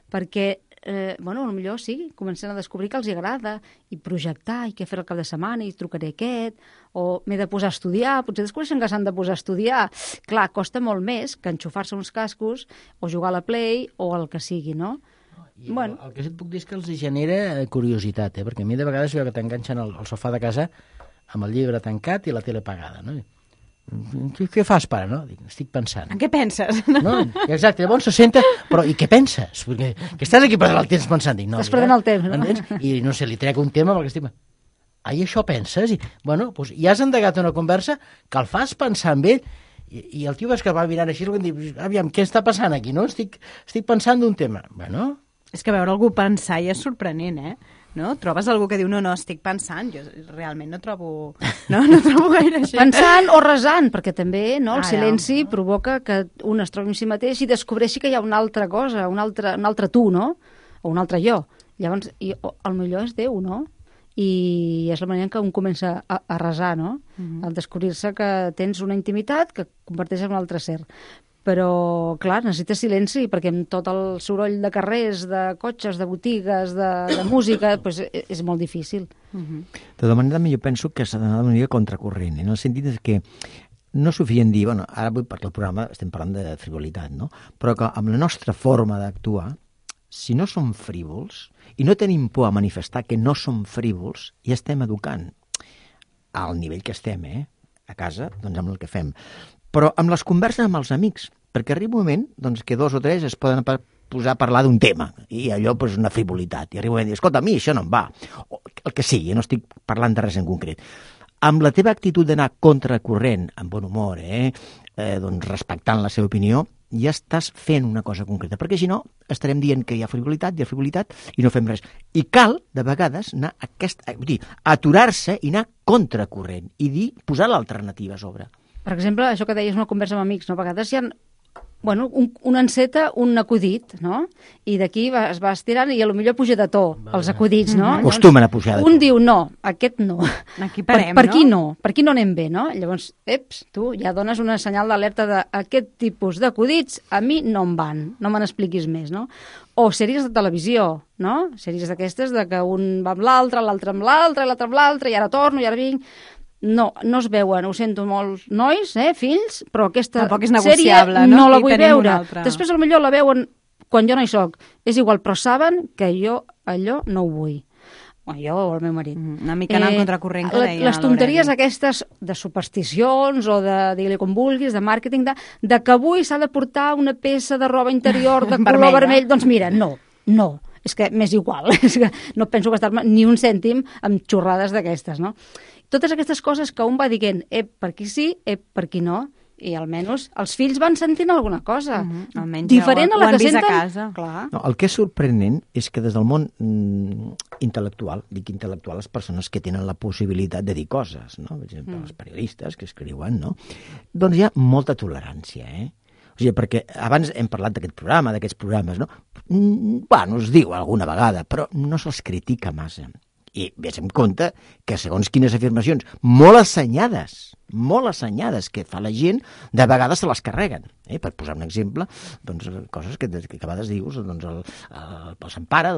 perquè, eh, bueno, potser sí, comencen a descobrir que els agrada, i projectar, i què fer el cap de setmana, i trucaré aquest, o m'he de posar a estudiar, potser descobreixen que s'han de posar a estudiar. Clar, costa molt més que enxufar-se uns cascos, o jugar a la Play, o el que sigui, no? I bueno. el, el que sí et puc dir és que els genera curiositat, eh? Perquè a mi de vegades veu que t'enganxen al, al sofà de casa amb el llibre tancat i la tele apagada, no? Què, què fas, pare, no? Dic, estic pensant. En què penses? No, exacte, llavors se senta, però i què penses? Perquè que estàs aquí perdent el temps pensant. Dic, no, estàs perdent el temps, no? Entens? I no sé, li trec un tema perquè estic... Ai, això penses? I, bueno, doncs ja has endegat una conversa que el fas pensar amb ell i, i el tio ves que va mirant així i diu, aviam, què està passant aquí, no? Estic, estic pensant d'un tema. Bueno... És que veure algú pensar ja és sorprenent, eh? No? Trobes algú que diu, no, no, estic pensant. Jo realment no trobo, no, no trobo gaire gent. Pensant o resant, perquè també no, el ah, silenci ja. provoca que un es trobi en si mateix i descobreixi que hi ha una altra cosa, un altre, un altre tu, no? O un altre jo. Llavors, i, o, el millor és Déu, no? I és la manera en què un comença a, a resar, no? Uh-huh. Al descobrir-se que tens una intimitat que converteix en un altre ser. Però, clar, necessites silenci, perquè amb tot el soroll de carrers, de cotxes, de botigues, de, de música, pues, és molt difícil. Uh-huh. De tota manera, jo penso que s'ha d'anar d'una mica contracorrent, en el sentit que no és suficient dir, bueno, ara vull, perquè el programa estem parlant de frivolitat, no? Però que amb la nostra forma d'actuar, si no som frívols, i no tenim por a manifestar que no som frívols, ja estem educant al nivell que estem, eh? A casa, doncs amb el que fem. Però amb les converses amb els amics, perquè arriba un moment doncs, que dos o tres es poden posar a parlar d'un tema, i allò és pues, una frivolitat, i arriba un moment i dir, escolta, a mi això no em va, o el que sigui, no estic parlant de res en concret. Amb la teva actitud d'anar contracorrent, amb bon humor, eh? Eh, doncs respectant la seva opinió, ja estàs fent una cosa concreta, perquè si no estarem dient que hi ha frivolitat, hi ha frivolitat i no fem res. I cal, de vegades, anar a aquest, vull dir, aturar-se i anar contracorrent i dir, posar l'alternativa a sobre. Per exemple, això que deies, una conversa amb amics, no? A vegades hi ha bueno, un, un enceta, un acudit, no? I d'aquí va, es va estirant i potser puja de to, els acudits, no? Mm-hmm. Acostumen a pujar de to. Un diu, no, aquest no. Aquí parem, per, per no? aquí no? Per aquí no anem bé, no? Llavors, eps, tu ja dones una senyal d'alerta d'aquest tipus d'acudits, a mi no em van, no me n'expliquis més, no? O sèries de televisió, no? Sèries d'aquestes de que un va amb l'altre, l'altre amb l'altre, l'altre amb l'altre, i ara torno, i ara vinc... No, no es veuen, ho sento molts nois, eh, fills, però aquesta sèrie no, no la vull veure. Després potser la veuen quan jo no hi soc. És igual, però saben que jo allò no ho vull. Bueno, jo o el meu marit. Mm, una mica anant eh, contracorrent que deia les tonteries aquestes de supersticions o de, digue-li com vulguis, de màrqueting, de, de que avui s'ha de portar una peça de roba interior de color vermell, doncs mira, no, no. És que m'és igual, és que no penso gastar-me ni un cèntim amb xorrades d'aquestes, no? Totes aquestes coses que un va dient, ep, per aquí sí, ep, per aquí no, i almenys els fills van sentint alguna cosa. Mm-hmm. Almenys diferent ja ho, a la que vist senten... a casa. Clar. No, el que és sorprenent és que des del món mm, intel·lectual, dic intel·lectual, les persones que tenen la possibilitat de dir coses, no? Per exemple, mm. els periodistes que escriuen, no? Doncs hi ha molta tolerància, eh? O sigui, perquè abans hem parlat d'aquest programa, d'aquests programes, no? Mm, bueno, es diu alguna vegada, però no se'ls critica massa. I vés en compte que segons quines afirmacions molt assenyades, molt assenyades que fa la gent, de vegades se les carreguen. Eh? Per posar un exemple, doncs, coses que, que a vegades dius, doncs, el, el, el Sant Pare,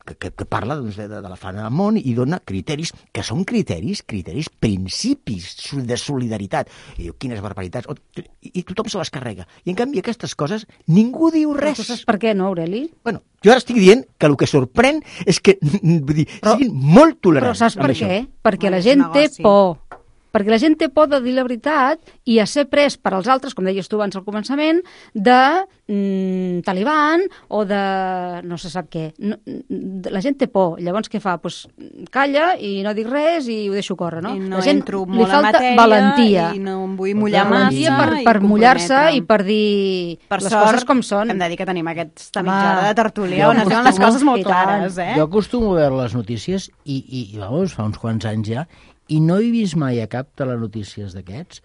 que, que, que parla doncs, de, de la fana del món i dona criteris, que són criteris, criteris, principis de solidaritat. I diu, quines barbaritats, i, i tothom se les carrega. I en canvi aquestes coses ningú diu res. Però tu saps per què, no, Aureli? Bueno, jo ara estic dient que el que sorprèn és que vull dir, però, siguin molt tolerants. Però saps per això. què? Perquè bueno, la gent té negoci. por. Perquè la gent té por de dir la veritat i a ser pres per als altres, com deies tu abans al començament, de mm, Taliban o de no se sap què. No, la gent té por. Llavors què fa? Pues, calla i no dic res i ho deixo córrer, no? I no la gent entro li molt falta en matèria valentia. I no em vull mullar valentia massa. per, per mullar-se i per dir per les sort, coses com són. Hem de dir que tenim aquesta Home, mitja hora de tertúlia on es veuen les coses molt clares, eh? Jo acostumo a veure les notícies i, i, i vamos, fa uns quants anys ja, i no he vist mai a cap telenotícies d'aquests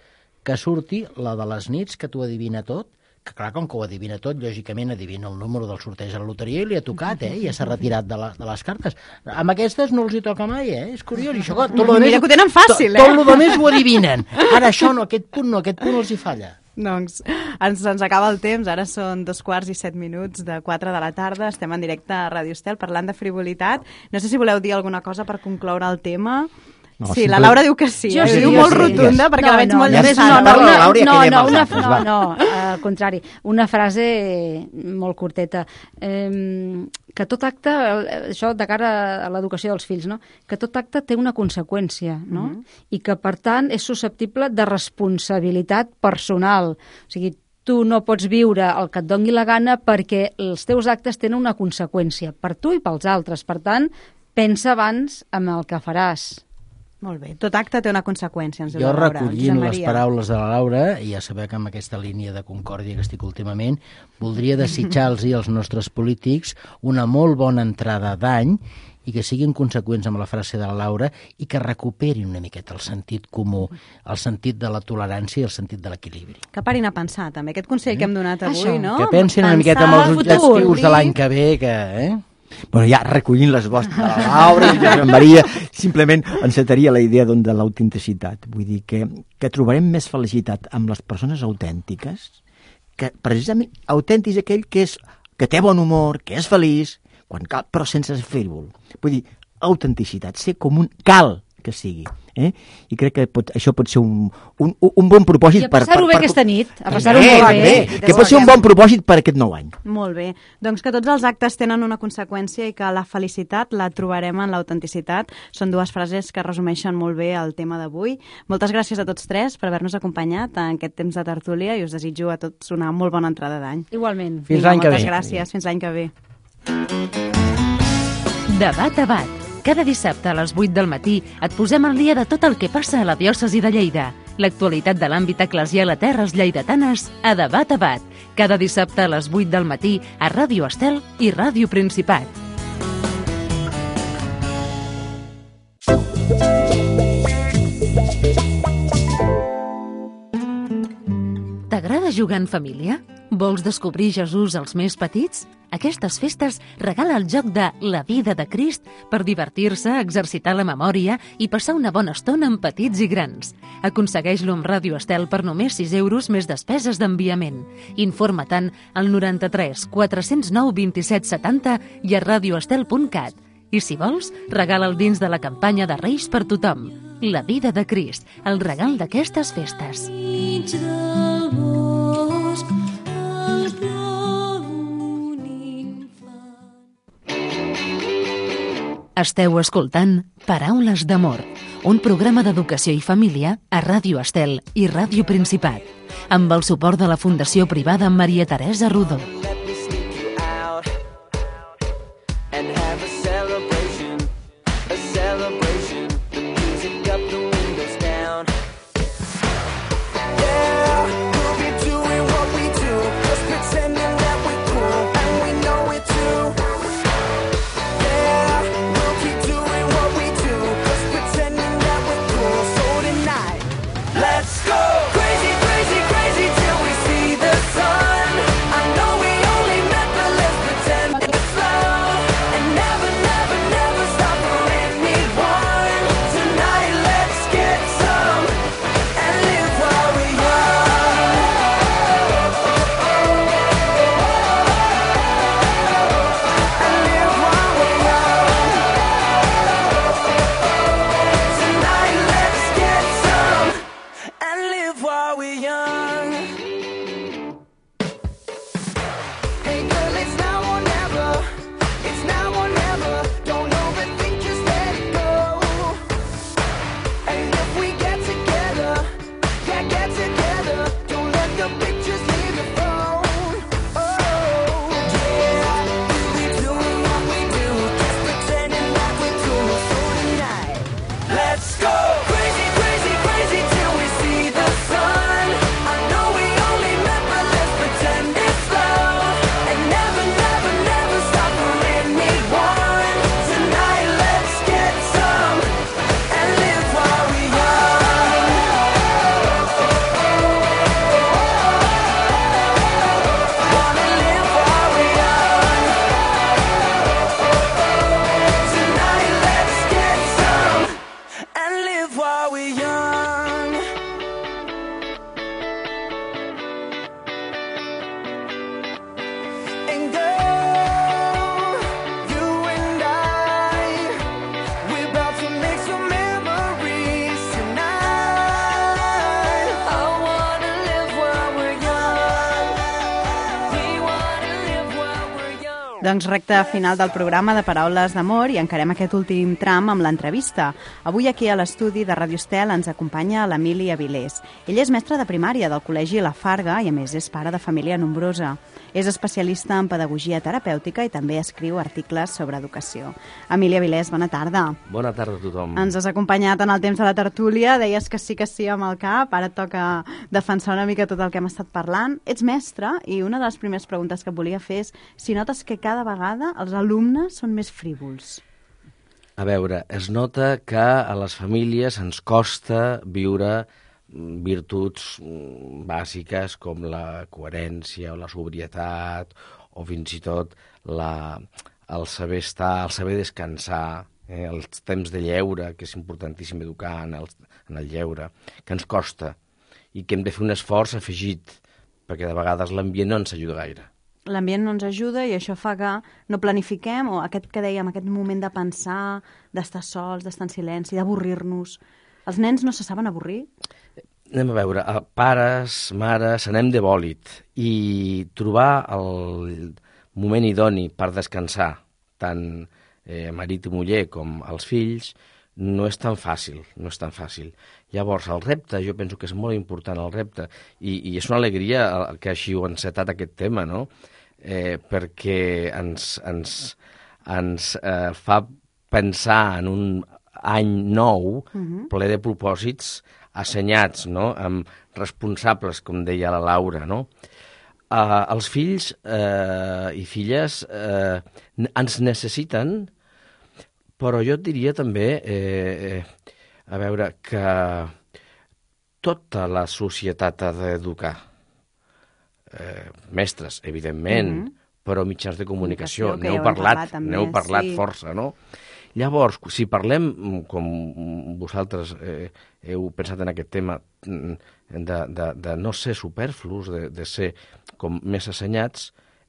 que surti la de les nits que t'ho adivina tot, que clar, com que ho adivina tot, lògicament adivina el número del sorteig a la loteria i li ha tocat, eh? I ja s'ha retirat de, la, de les cartes. Amb aquestes no els hi toca mai, eh? És curiós. I això, tot lo Mira més, que ho tenen fàcil, tot, eh? tot el més ho adivinen. Ara això no, aquest punt no, aquest punt els hi falla. Doncs ens, ens acaba el temps, ara són dos quarts i set minuts de quatre de la tarda, estem en directe a Ràdio Estel parlant de frivolitat. No sé si voleu dir alguna cosa per concloure el tema. No, sí, simple... la Laura diu que sí, jo eh? sí, diu jo molt sí. rotunda Yes. perquè no, la veig no, molt no, llançada. no, no, Parla la no, Laura i no, acabem no, els una, altres, no, va. no, al contrari, una frase molt curteta. Eh, que tot acte, això de cara a l'educació dels fills, no? Que tot acte té una conseqüència, no? Mm-hmm. I que, per tant, és susceptible de responsabilitat personal. O sigui, tu no pots viure el que et doni la gana perquè els teus actes tenen una conseqüència per tu i pels altres. Per tant, pensa abans en el que faràs. Molt bé, tot acte té una conseqüència, ens diu Jo la Laura. recollint Josep les Maria. paraules de la Laura, i ja sabeu que amb aquesta línia de concòrdia que estic últimament, voldria desitjar-los als nostres polítics una molt bona entrada d'any i que siguin conseqüents amb la frase de la Laura i que recuperin una miqueta el sentit comú, el sentit de la tolerància i el sentit de l'equilibri. Que parin a pensar, també, aquest consell que hem donat avui, Això. no? Que pensin una Pensar miqueta en els el objectius futur. de l'any que ve, que... Eh? Bueno, ja recollint les vostres de la Laura i de Josep Maria, simplement encetaria la idea doncs, de l'autenticitat. Vull dir que, que trobarem més felicitat amb les persones autèntiques, que precisament autèntic és aquell que, és, que té bon humor, que és feliç, quan cal, però sense ser frívol. Vull dir, autenticitat, ser com un cal que sigui. Eh? I crec que pot, això pot ser un, un, un bon propòsit. I a passar-ho bé aquesta nit. A passar-ho bé, molt bé. bé. Que pot ser un bon propòsit per aquest nou any. Molt bé. Doncs que tots els actes tenen una conseqüència i que la felicitat la trobarem en l'autenticitat. Són dues frases que resumeixen molt bé el tema d'avui. Moltes gràcies a tots tres per haver-nos acompanyat en aquest temps de tertúlia i us desitjo a tots una molt bona entrada d'any. Igualment. Fins l'any que ve. Moltes gràcies. Fins l'any que ve. Debat a bat. Cada dissabte a les vuit del matí et posem al dia de tot el que passa a la diòcesi de Lleida. L'actualitat de l'àmbit eclesial a terres lleidatanes a Debat a Bat, cada dissabte a les vuit del matí a Ràdio Estel i Ràdio Principat. T'agrada jugar en família? Vols descobrir Jesús als més petits? Aquestes festes regala el joc de La vida de Crist per divertir-se, exercitar la memòria i passar una bona estona amb petits i grans. Aconsegueix-lo amb Ràdio Estel per només sis euros més despeses d'enviament. Informa-te'n al noranta-tres quatre-cents nou vint-i-set setanta i a radioestel punt cat. I si vols, regala'l dins de la campanya de Reis per tothom. La vida de Crist, el regal d'aquestes festes. Esteu escoltant Paraules d'amor, un programa d'educació i família a Ràdio Estel i Ràdio Principat, amb el suport de la Fundació Privada Maria Teresa Rodó. Doncs recta final del programa de Paraules d'amor i encarem aquest últim tram amb l'entrevista. Avui aquí a l'estudi de Ràdio Estel ens acompanya l'Emili Avilés. Ell és mestre de primària del Col·legi La Farga i a més és pare de família nombrosa. És especialista en pedagogia terapèutica i també escriu articles sobre educació. Emili Avilés, bona tarda. Bona tarda a tothom. Ens has acompanyat en el temps de la tertúlia, deies que sí que sí amb el cap, ara et toca defensar una mica tot el que hem estat parlant. Ets mestre i una de les primeres preguntes que et volia fer és si notes que cada vegada els alumnes són més frívols. A veure, es nota que a les famílies ens costa viure virtuts bàsiques com la coherència o la sobrietat o fins i tot la, el saber estar, el saber descansar, eh, els temps de lleure, que és importantíssim educar en el, en el lleure, que ens costa i que hem de fer un esforç afegit perquè de vegades l'ambient no ens ajuda gaire. L'ambient no ens ajuda i això fa que no planifiquem, o aquest que dèiem, aquest moment de pensar, d'estar sols, d'estar en silenci, d'avorrir-nos. Els nens no se saben avorrir? Anem a veure, pares, mares, anem de bòlit i trobar el moment idoni per descansar, tant eh, marit i muller com els fills, no és tan fàcil, no és tan fàcil. Llavors, el repte, jo penso que és molt important el repte, i, i és una alegria que així ho ha encetat aquest tema, no? Eh, perquè ens, ens, ens eh, fa pensar en un any nou, uh-huh. ple de propòsits, assenyats, no? Amb responsables, com deia la Laura, no? Uh, els fills uh, i filles uh, ens necessiten, però jo et diria també, eh, eh, a veure, que tota la societat ha d'educar. Eh, mestres, evidentment, mm-hmm. però mitjans de comunicació. N'heu N'heu parlat, parlat també, n'heu parlat sí. força, no? Llavors, si parlem, com vosaltres eh, heu pensat en aquest tema, de, de, de no ser superflus, de, de ser com més assenyats,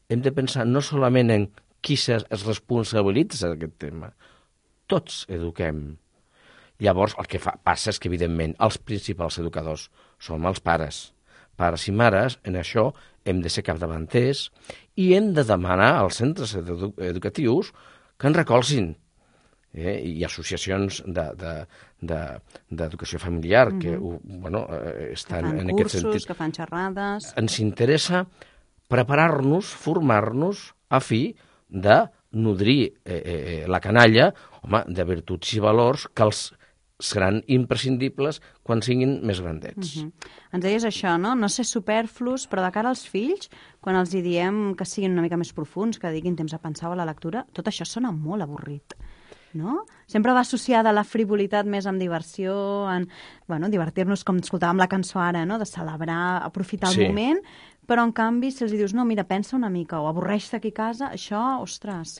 hem de pensar no solament en qui es responsabilitza d'aquest tema, tots eduquem. Llavors, el que fa, passa és que, evidentment, els principals educadors som els pares. Pares i mares, en això hem de ser capdavanters i hem de demanar als centres edu educatius que ens recolzin. Eh? Hi ha associacions d'educació de, de, familiar mm-hmm. que bueno, eh, estan que fan en cursos, aquest sentit. Que fan xerrades. Ens interessa preparar-nos, formar-nos a fi de nodrir eh, eh, la canalla, home, de virtuts i valors que els seran imprescindibles quan siguin més grandets. Uh-huh. Ens deies això, no? No ser superflus, però de cara als fills, quan els hi diem que siguin una mica més profuns, que dediquin temps a pensar o a la lectura, tot això sona molt avorrit, no? Sempre va associada a la frivolitat més amb diversió, en bueno, divertir-nos, com escoltàvem la cançó ara, no? De celebrar, aprofitar el sí. moment, però en canvi, si els dius, no, mira, pensa una mica, o avorreix-te aquí a casa, això, ostres,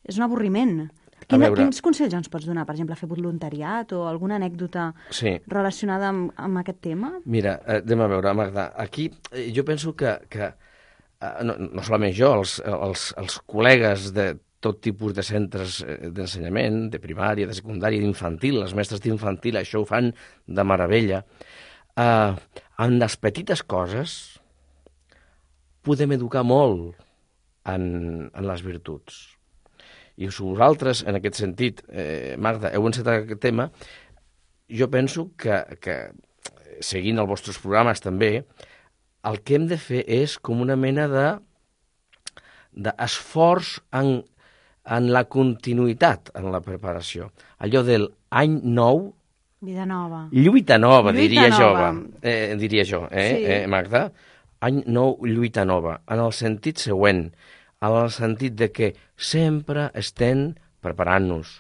és un avorriment. Quina, veure... Quins consells ens pots donar, per exemple, fer voluntariat o alguna anècdota sí. relacionada amb, amb aquest tema? Mira, eh, anem a veure, Magda, aquí eh, jo penso que, que eh, no, no solament jo, els, els, els col·legues de tot tipus de centres d'ensenyament, de primària, de secundària, d'infantil, les mestres d'infantil, això ho fan de meravella. Eh, en les petites coses podem educar molt en, en les virtuts. I si vosaltres, en aquest sentit, eh, Magda, heu encetat aquest tema, jo penso que, que, seguint els vostres programes també, el que hem de fer és com una mena de d'esforç en, en la continuïtat en la preparació. Allò del any nou... Vida nova. Lluita nova, lluita diria, nova. Jo, eh, diria jo, eh, sí. eh, Magda? Any nou, lluita nova, en el sentit següent, en el sentit de que sempre estem preparant-nos.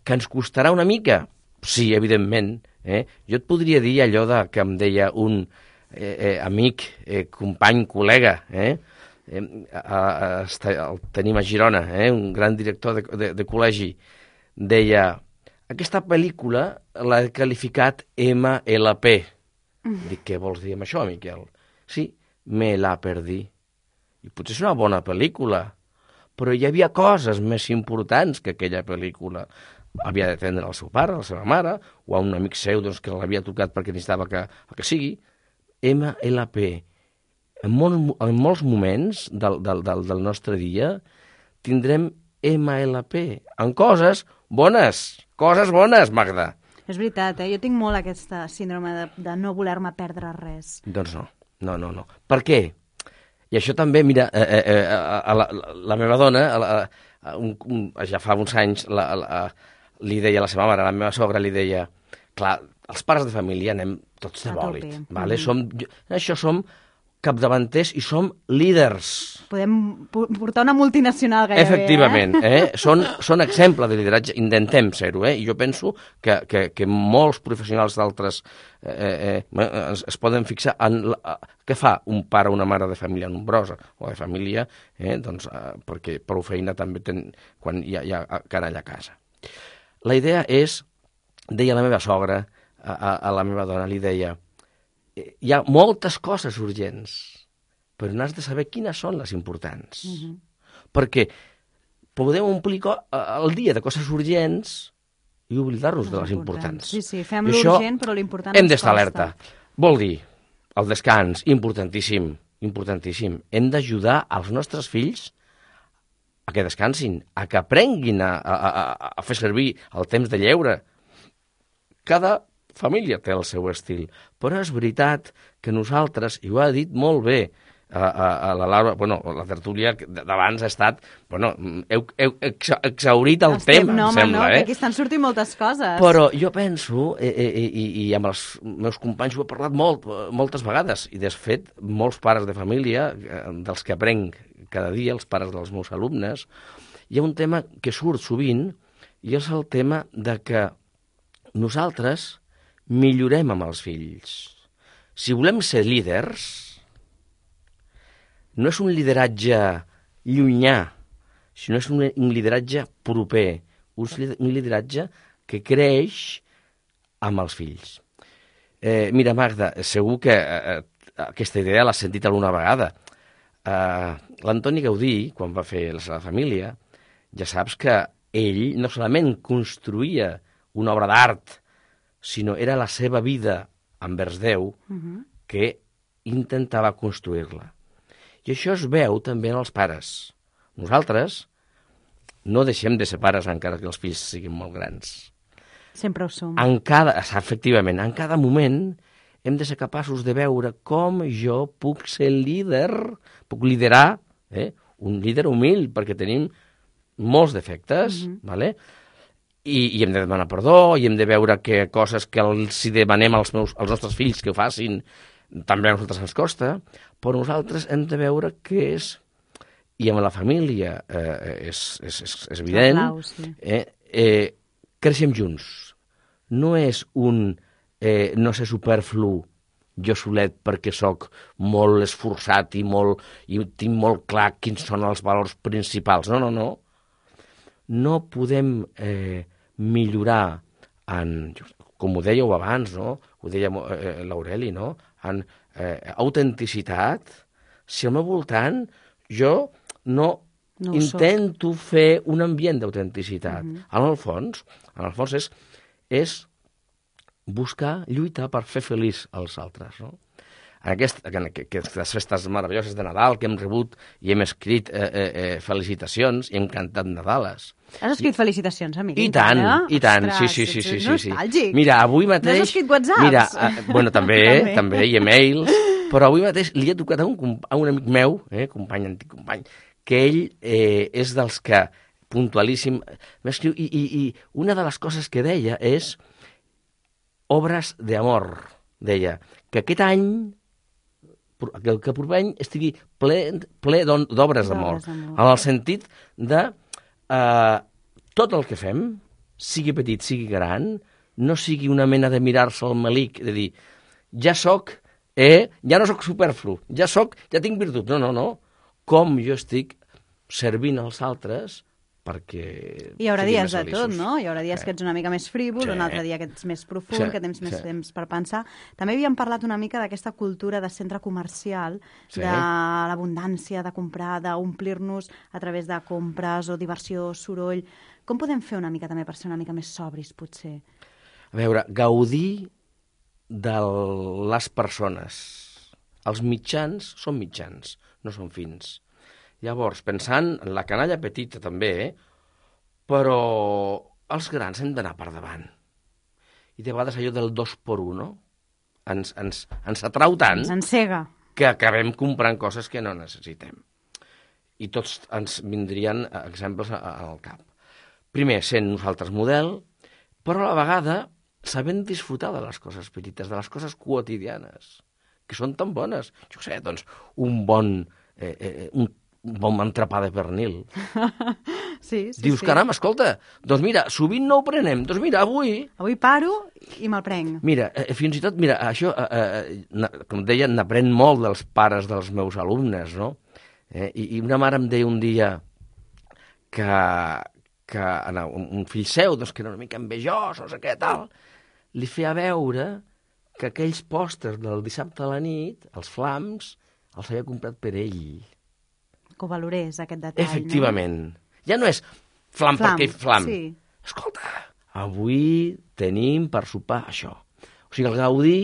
Que ens costarà una mica? Sí, evidentment. Eh? Jo et podria dir allò de, que em deia un eh, eh, amic, eh, company, col·lega, eh? Eh, a, a, a, el tenim a Girona, eh? Un gran director de, de, de col·legi, deia, aquesta pel·lícula l'ha qualificat ema ele pe. Mm. Dic, què vols dir amb això, Miquel? Sí, me la perdí. I potser és una bona pel·lícula, però hi havia coses més importants que aquella pel·lícula. Havia d'atendre el seu pare, la seva mare, o a un amic seu doncs, que l'havia tocat perquè necessitava que, que sigui. ema ele pe. En, molt, en molts moments del, del, del, del nostre dia tindrem ema ele pe en coses bones, coses bones, Magda. És veritat, eh? Jo tinc molt aquesta síndrome de, de no voler-me perdre res. Doncs no, no, no, no. Per què? I això també, mira, eh, eh, a, a la, la meva dona, a, a, un, un, ja fa uns anys, la, a, li deia a la seva mare, a la meva sogra li deia, clar, els pares de família anem tots de bòlit, vale? Mm-hmm. Som, això som capdavanters i som líders. Podem portar una multinacional gairebé, Efectivament, eh? eh? Són, són exemple de lideratge, intentem ser-ho, eh? I jo penso que, que, que molts professionals d'altres eh, eh, es, es poden fixar en la, què fa un pare o una mare de família nombrosa o de família, eh? Doncs, eh, perquè prou feina també ten, quan hi ha, hi ha canalla a casa. La idea és, deia la meva sogra, a, a, a la meva dona, li deia, hi ha moltes coses urgents, però n'has de saber quines són les importants. Uh-huh. Perquè podem omplir el dia de coses urgents i oblidar-nos de les importants. Sí, sí, fem l'urgent, però l'important hem d'estar alerta. Vol dir, el descans, importantíssim, importantíssim. Hem d'ajudar als nostres fills a que descansin, a que aprenguin a, a, a, a fer servir el temps de lleure. Cada família té el seu estil, però és veritat que nosaltres, i ho ha dit molt bé a, a, a la Laura, bueno, la tertúlia d'abans ha estat, bueno, heu, heu exa, exhaurit el Estem, tema, no, em sembla, no, eh? que aquí estan sortint moltes coses. Però jo penso, eh, eh, i, i amb els meus companys ho he parlat molt, moltes vegades, i de fet, molts pares de família, eh, dels que aprenc cada dia, els pares dels meus alumnes, hi ha un tema que surt sovint, i és el tema de que nosaltres millorem amb els fills. Si volem ser líders, no és un lideratge llunyà, sinó és un, un lideratge proper, un lideratge que creix amb els fills. Eh, mira, Magda, segur que eh, aquesta idea l'has sentit alguna vegada. Eh, L'Antoni Gaudí, quan va fer la seva família, ja saps que ell no solament construïa una obra d'art, sinó era la seva vida envers Déu uh-huh. que intentava construir-la. I això es veu també en els pares. Nosaltres no deixem de ser pares encara que els fills siguin molt grans. Sempre ho som. En cada, efectivament, en cada moment hem de ser capaços de veure com jo puc ser líder, puc liderar, eh? Un líder humil, perquè tenim molts defectes, uh-huh. vale? I, i hem de demanar perdó, i hem de veure que coses que els si demanem als, meus, als nostres fills que ho facin, també a nosaltres ens costa, però nosaltres hem de veure què és, i amb la família eh, és, és, és, és evident, Blau, sí. eh, eh, creixem junts. No és un eh, no sé superflu jo solet perquè sóc molt esforçat i, molt, i tinc molt clar quins són els valors principals. No, no, no. No podem eh, millorar en, com ho dèieu abans, no? Ho deia eh, l'Aureli, no? En eh, autenticitat, si al meu voltant jo no, no intento soc. fer un ambient d'autenticitat. Mm-hmm. En el fons, en el fons és, és buscar, lluitar per fer feliç els altres, no? En, aquest, en aquestes festes meravelloses de Nadal que hem rebut i hem escrit eh, eh, felicitacions i hem cantat Nadales. Has escrit felicitacions, amic? I tant, i tant, sí, sí, sí, sí, sí, sí. Mira, avui mateix... No has escrit whatsapps? Mira, uh, bueno, també, també, també, i e-mails, però avui mateix li he tocat a un, a un amic meu, eh, company, antic company, que ell eh, és dels que, puntualíssim, m'escriu, i, i, i una de les coses que deia és obres d'amor, deia, que aquest any que el que proper any estigui ple, ple d'obres d'amor, en el sentit de eh, tot el que fem, sigui petit, sigui gran, no sigui una mena de mirar-se al malic, de dir, ja soc, eh, ja no soc superflu, ja soc, ja tinc virtut. No, no, no. Com jo estic servint als altres perquè... Hi haurà dies de tot, no? Hi haurà dies que ets una mica més frívol, sí. Un altre dia que ets més profund, sí. Que tens més sí. temps per pensar. També havíem parlat una mica d'aquesta cultura de centre comercial, sí. De l'abundància, de comprar, d'omplir-nos a través de compres o diversió, soroll. Com podem fer una mica també per ser una mica més sobris, potser? A veure, gaudir de les persones. Els mitjans són mitjans, no són fins. Llavors, pensant en la canalla petita també, eh? Però els grans hem d'anar per davant. I de vegades allò del dos per un, no? Ens, ens, ens atrau tant ens encega. Que acabem comprant coses que no necessitem. I tots ens vindrien exemples al cap. Primer, sent nosaltres model, però a la vegada sabent disfrutar de les coses petites, de les coses quotidianes, que són tan bones. Jo sé, doncs, un bon... Eh, eh, un un bon entrepà de pernil. Sí, sí, Dius, sí. caram, escolta, doncs mira, sovint no ho prenem, doncs mira, avui... Avui paro i me'l prenc. Mira, eh, fins i tot, mira, això, eh, eh, com deia, n'aprèn molt dels pares dels meus alumnes, no? Eh, i, I una mare em deia un dia que, que un, un fill seu, doncs, que era una mica envejós, no sé què, tal, li feia veure que aquells pòsters del dissabte a la nit, els flams, els havia comprat per ell. Que ho valorés, aquest detall, efectivament. No? Ja no és flam, flam perquè flam. Sí. Escolta, avui tenim per sopar això. O sigui, el gaudir...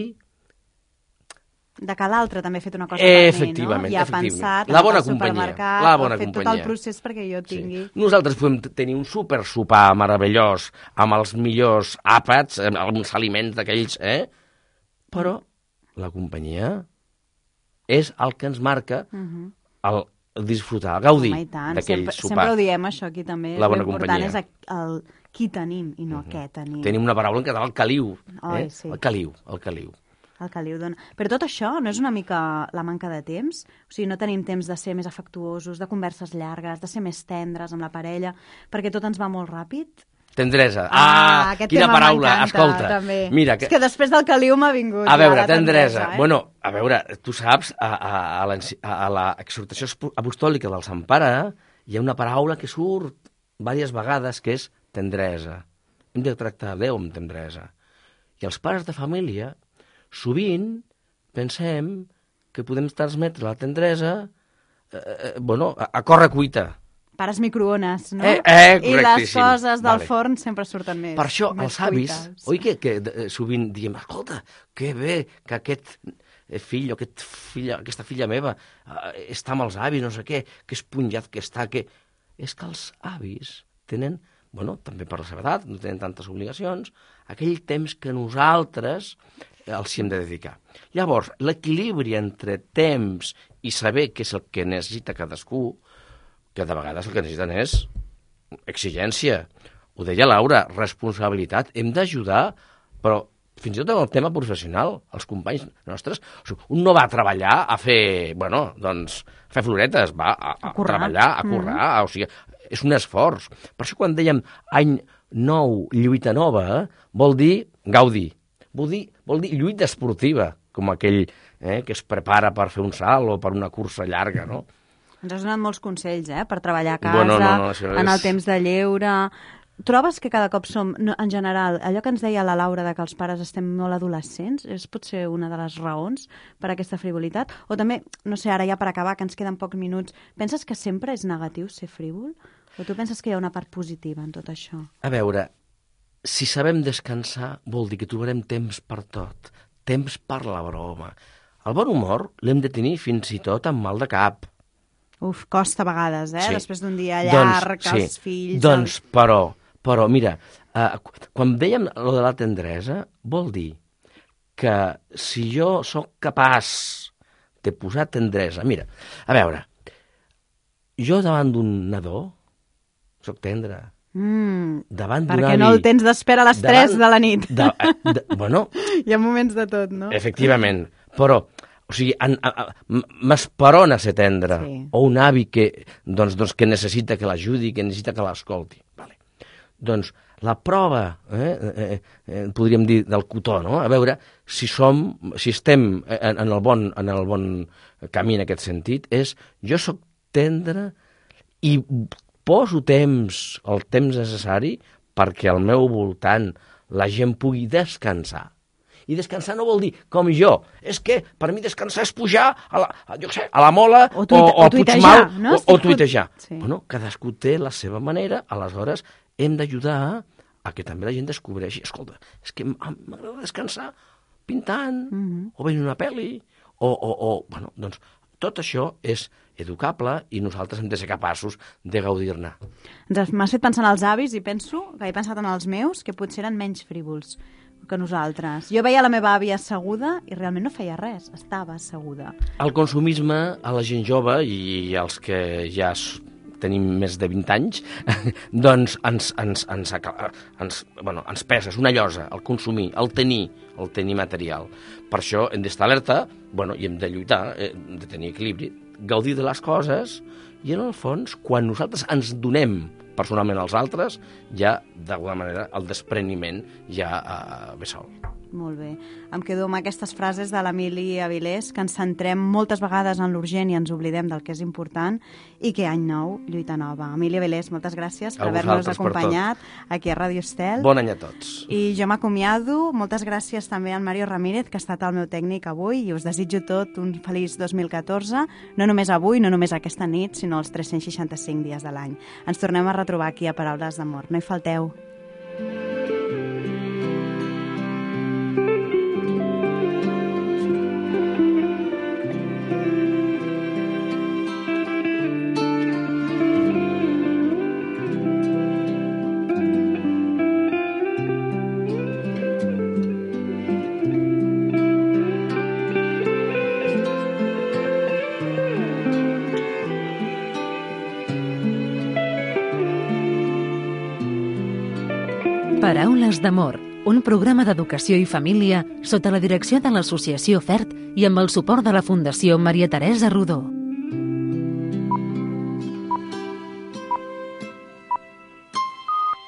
De que l'altre també ha fet una cosa per mi, no? Efectivament, I ha efectivament. pensat, la bona al companyia, supermercat, la bona ha fet companyia. tot el procés perquè jo tingui... Sí. Nosaltres podem tenir un super sopar meravellós amb els millors àpats, amb els aliments d'aquells, eh? Però la companyia és el que ens marca Mhm. el disfrutar, el gaudir Home, i tant. d'aquell Sempre, sopar. sempre ho diem, això, aquí també. La bona L'important companyia. és el qui tenim i no què tenim. Tenim una paraula en català, el caliu. Ai, eh? sí. El caliu, el caliu. El que li ho dona. Però tot això no és una mica la manca de temps? O sigui, no tenim temps de ser més afectuosos, de converses llargues, de ser més tendres amb la parella, perquè tot ens va molt ràpid? Tendresa. Ah, Ah, aquest quina tema paraula, m'encanta, escolta. també. Mira, que... És que després del caliu m'ha vingut. A veure, ja la tendresa. eh? Bueno, a veure, tu saps, a, a, a, l'enci- a, a l'exhortació apostòlica del Sant Pare hi ha una paraula que surt diverses vegades, que és tendresa. Hem de tractar Déu amb tendresa. I els pares de família, sovint, pensem que podem transmetre la tendresa eh, eh, bueno, a, a corre cuita. Pares microones, no? Eh, eh, I les correctíssim. coses del Vale. forn sempre surten més. Per això més els avis, cuites. oi que, que eh, sovint diem, escolta, que bé que aquest eh, fill o aquest filla, aquesta filla meva eh, està amb els avis, no sé què, que esponjat que està, que... És que els avis tenen, bueno, també per la seva edat, no tenen tantes obligacions, aquell temps que nosaltres els hi hem de dedicar. Llavors, l'equilibri entre temps i saber què és el que necessita cadascú, que de vegades el que necessiten és exigència. Ho deia Laura, responsabilitat. Hem d'ajudar, però fins i tot en el tema professional, els companys nostres, o sigui, un no va a treballar a fer, bueno, doncs, a fer floretes, va a, a, A currar. treballar, a currar, mm. o sigui, és un esforç. Per això quan dèiem any nou, lluita nova, vol dir gaudir, vol dir, vol dir lluita esportiva, com aquell eh, que es prepara per fer un salt o per una cursa llarga, no? Ens has donat molts consells, eh?, per treballar a casa, Bueno, no, no, això en el és- temps de lleure... Trobes que cada cop som, no, en general, allò que ens deia la Laura de que els pares estem molt adolescents, és potser una de les raons per a aquesta frivolitat? O també, no sé, ara ja per acabar, que ens queden pocs minuts, penses que sempre és negatiu ser frívol? O tu penses que hi ha una part positiva en tot això? A veure, si sabem descansar, vol dir que trobarem temps per tot, temps per la broma. El bon humor l'hem de tenir fins i tot amb mal de cap. Uf, costa a vegades, eh? Sí. Després d'un dia Doncs, llarg, sí. els fills... Doncs, però, però, mira, eh, quan dèiem lo de la tendresa, vol dir que si jo sóc capaç de posar tendresa... Mira, a veure, jo davant d'un nadó sóc tendre. Mm, Davant d'un perquè avi... no el tens d'espera a les davant- tres de la nit. De, de, bueno, Hi ha moments de tot, no? efectivament, però, o sigui, en- a- a- m- m'esperona ser tendre, Sí. o un avi que, doncs, doncs, que necessita que l'ajudi, que necessita que l'escolti. Vale. Doncs la prova, eh, eh, eh, podríem dir, del cotó, no? A veure si som, si estem en, en, el bon, en el bon camí en aquest sentit, és jo sóc tendre i poso temps, el temps necessari perquè al meu voltant la gent pugui descansar. I descansar no vol dir, com jo, és que per mi descansar és pujar a la, a, jo què sé, a la Mola O o, tuite- o o a tuitejar, Puigmal no? o, o Estic tuitejar. fot- sí. Bueno, cadascú té la seva manera, aleshores hem d'ajudar a que també la gent descobreixi, escolta, és que m- m'agrada descansar pintant, Mhm. o veient una pel·li, o, o, o, bueno, doncs, tot això és educable i nosaltres hem de ser capaços de gaudir-ne. Ens M'has fet pensar en els avis i penso que he pensat en els meus, que potser eren menys frívols que nosaltres. Jo veia la meva àvia asseguda i realment no feia res, estava asseguda. El consumisme a la gent jove i als que ja s- tenim més de vint anys, doncs ens, ens, ens, aca- ens, bueno, ens pesa, és una llosa, el consumir, el tenir, el tenir material. Per això hem d'estar alerta, bueno, i hem de lluitar, eh, hem de tenir equilibri, gaudir de les coses, i en el fons, quan nosaltres ens donem personalment als altres, ja, d'alguna manera, el despreniment ja eh, ve sol. Molt bé. Em quedo amb aquestes frases de l'Emili Avilés, que ens centrem moltes vegades en l'urgent i ens oblidem del que és important, i que any nou, lluita nova. Emili Avilés, moltes gràcies per A haver-nos vosaltres per tot. acompanyat aquí a Ràdio Estel. Bon any a tots. I jo m'acomiado. Moltes gràcies també al Mario Ramírez, que ha estat el meu tècnic avui, i us desitjo tot un feliç dos mil catorze, no només avui, no només aquesta nit, sinó els tres-cents seixanta-cinc dies de l'any. Ens tornem a retrobar aquí a Paraules d'Amor. No hi falteu. Paraules d'amor, un programa d'educació i família sota la direcció de l'Associació FERT i amb el suport de la Fundació Maria Teresa Rodó.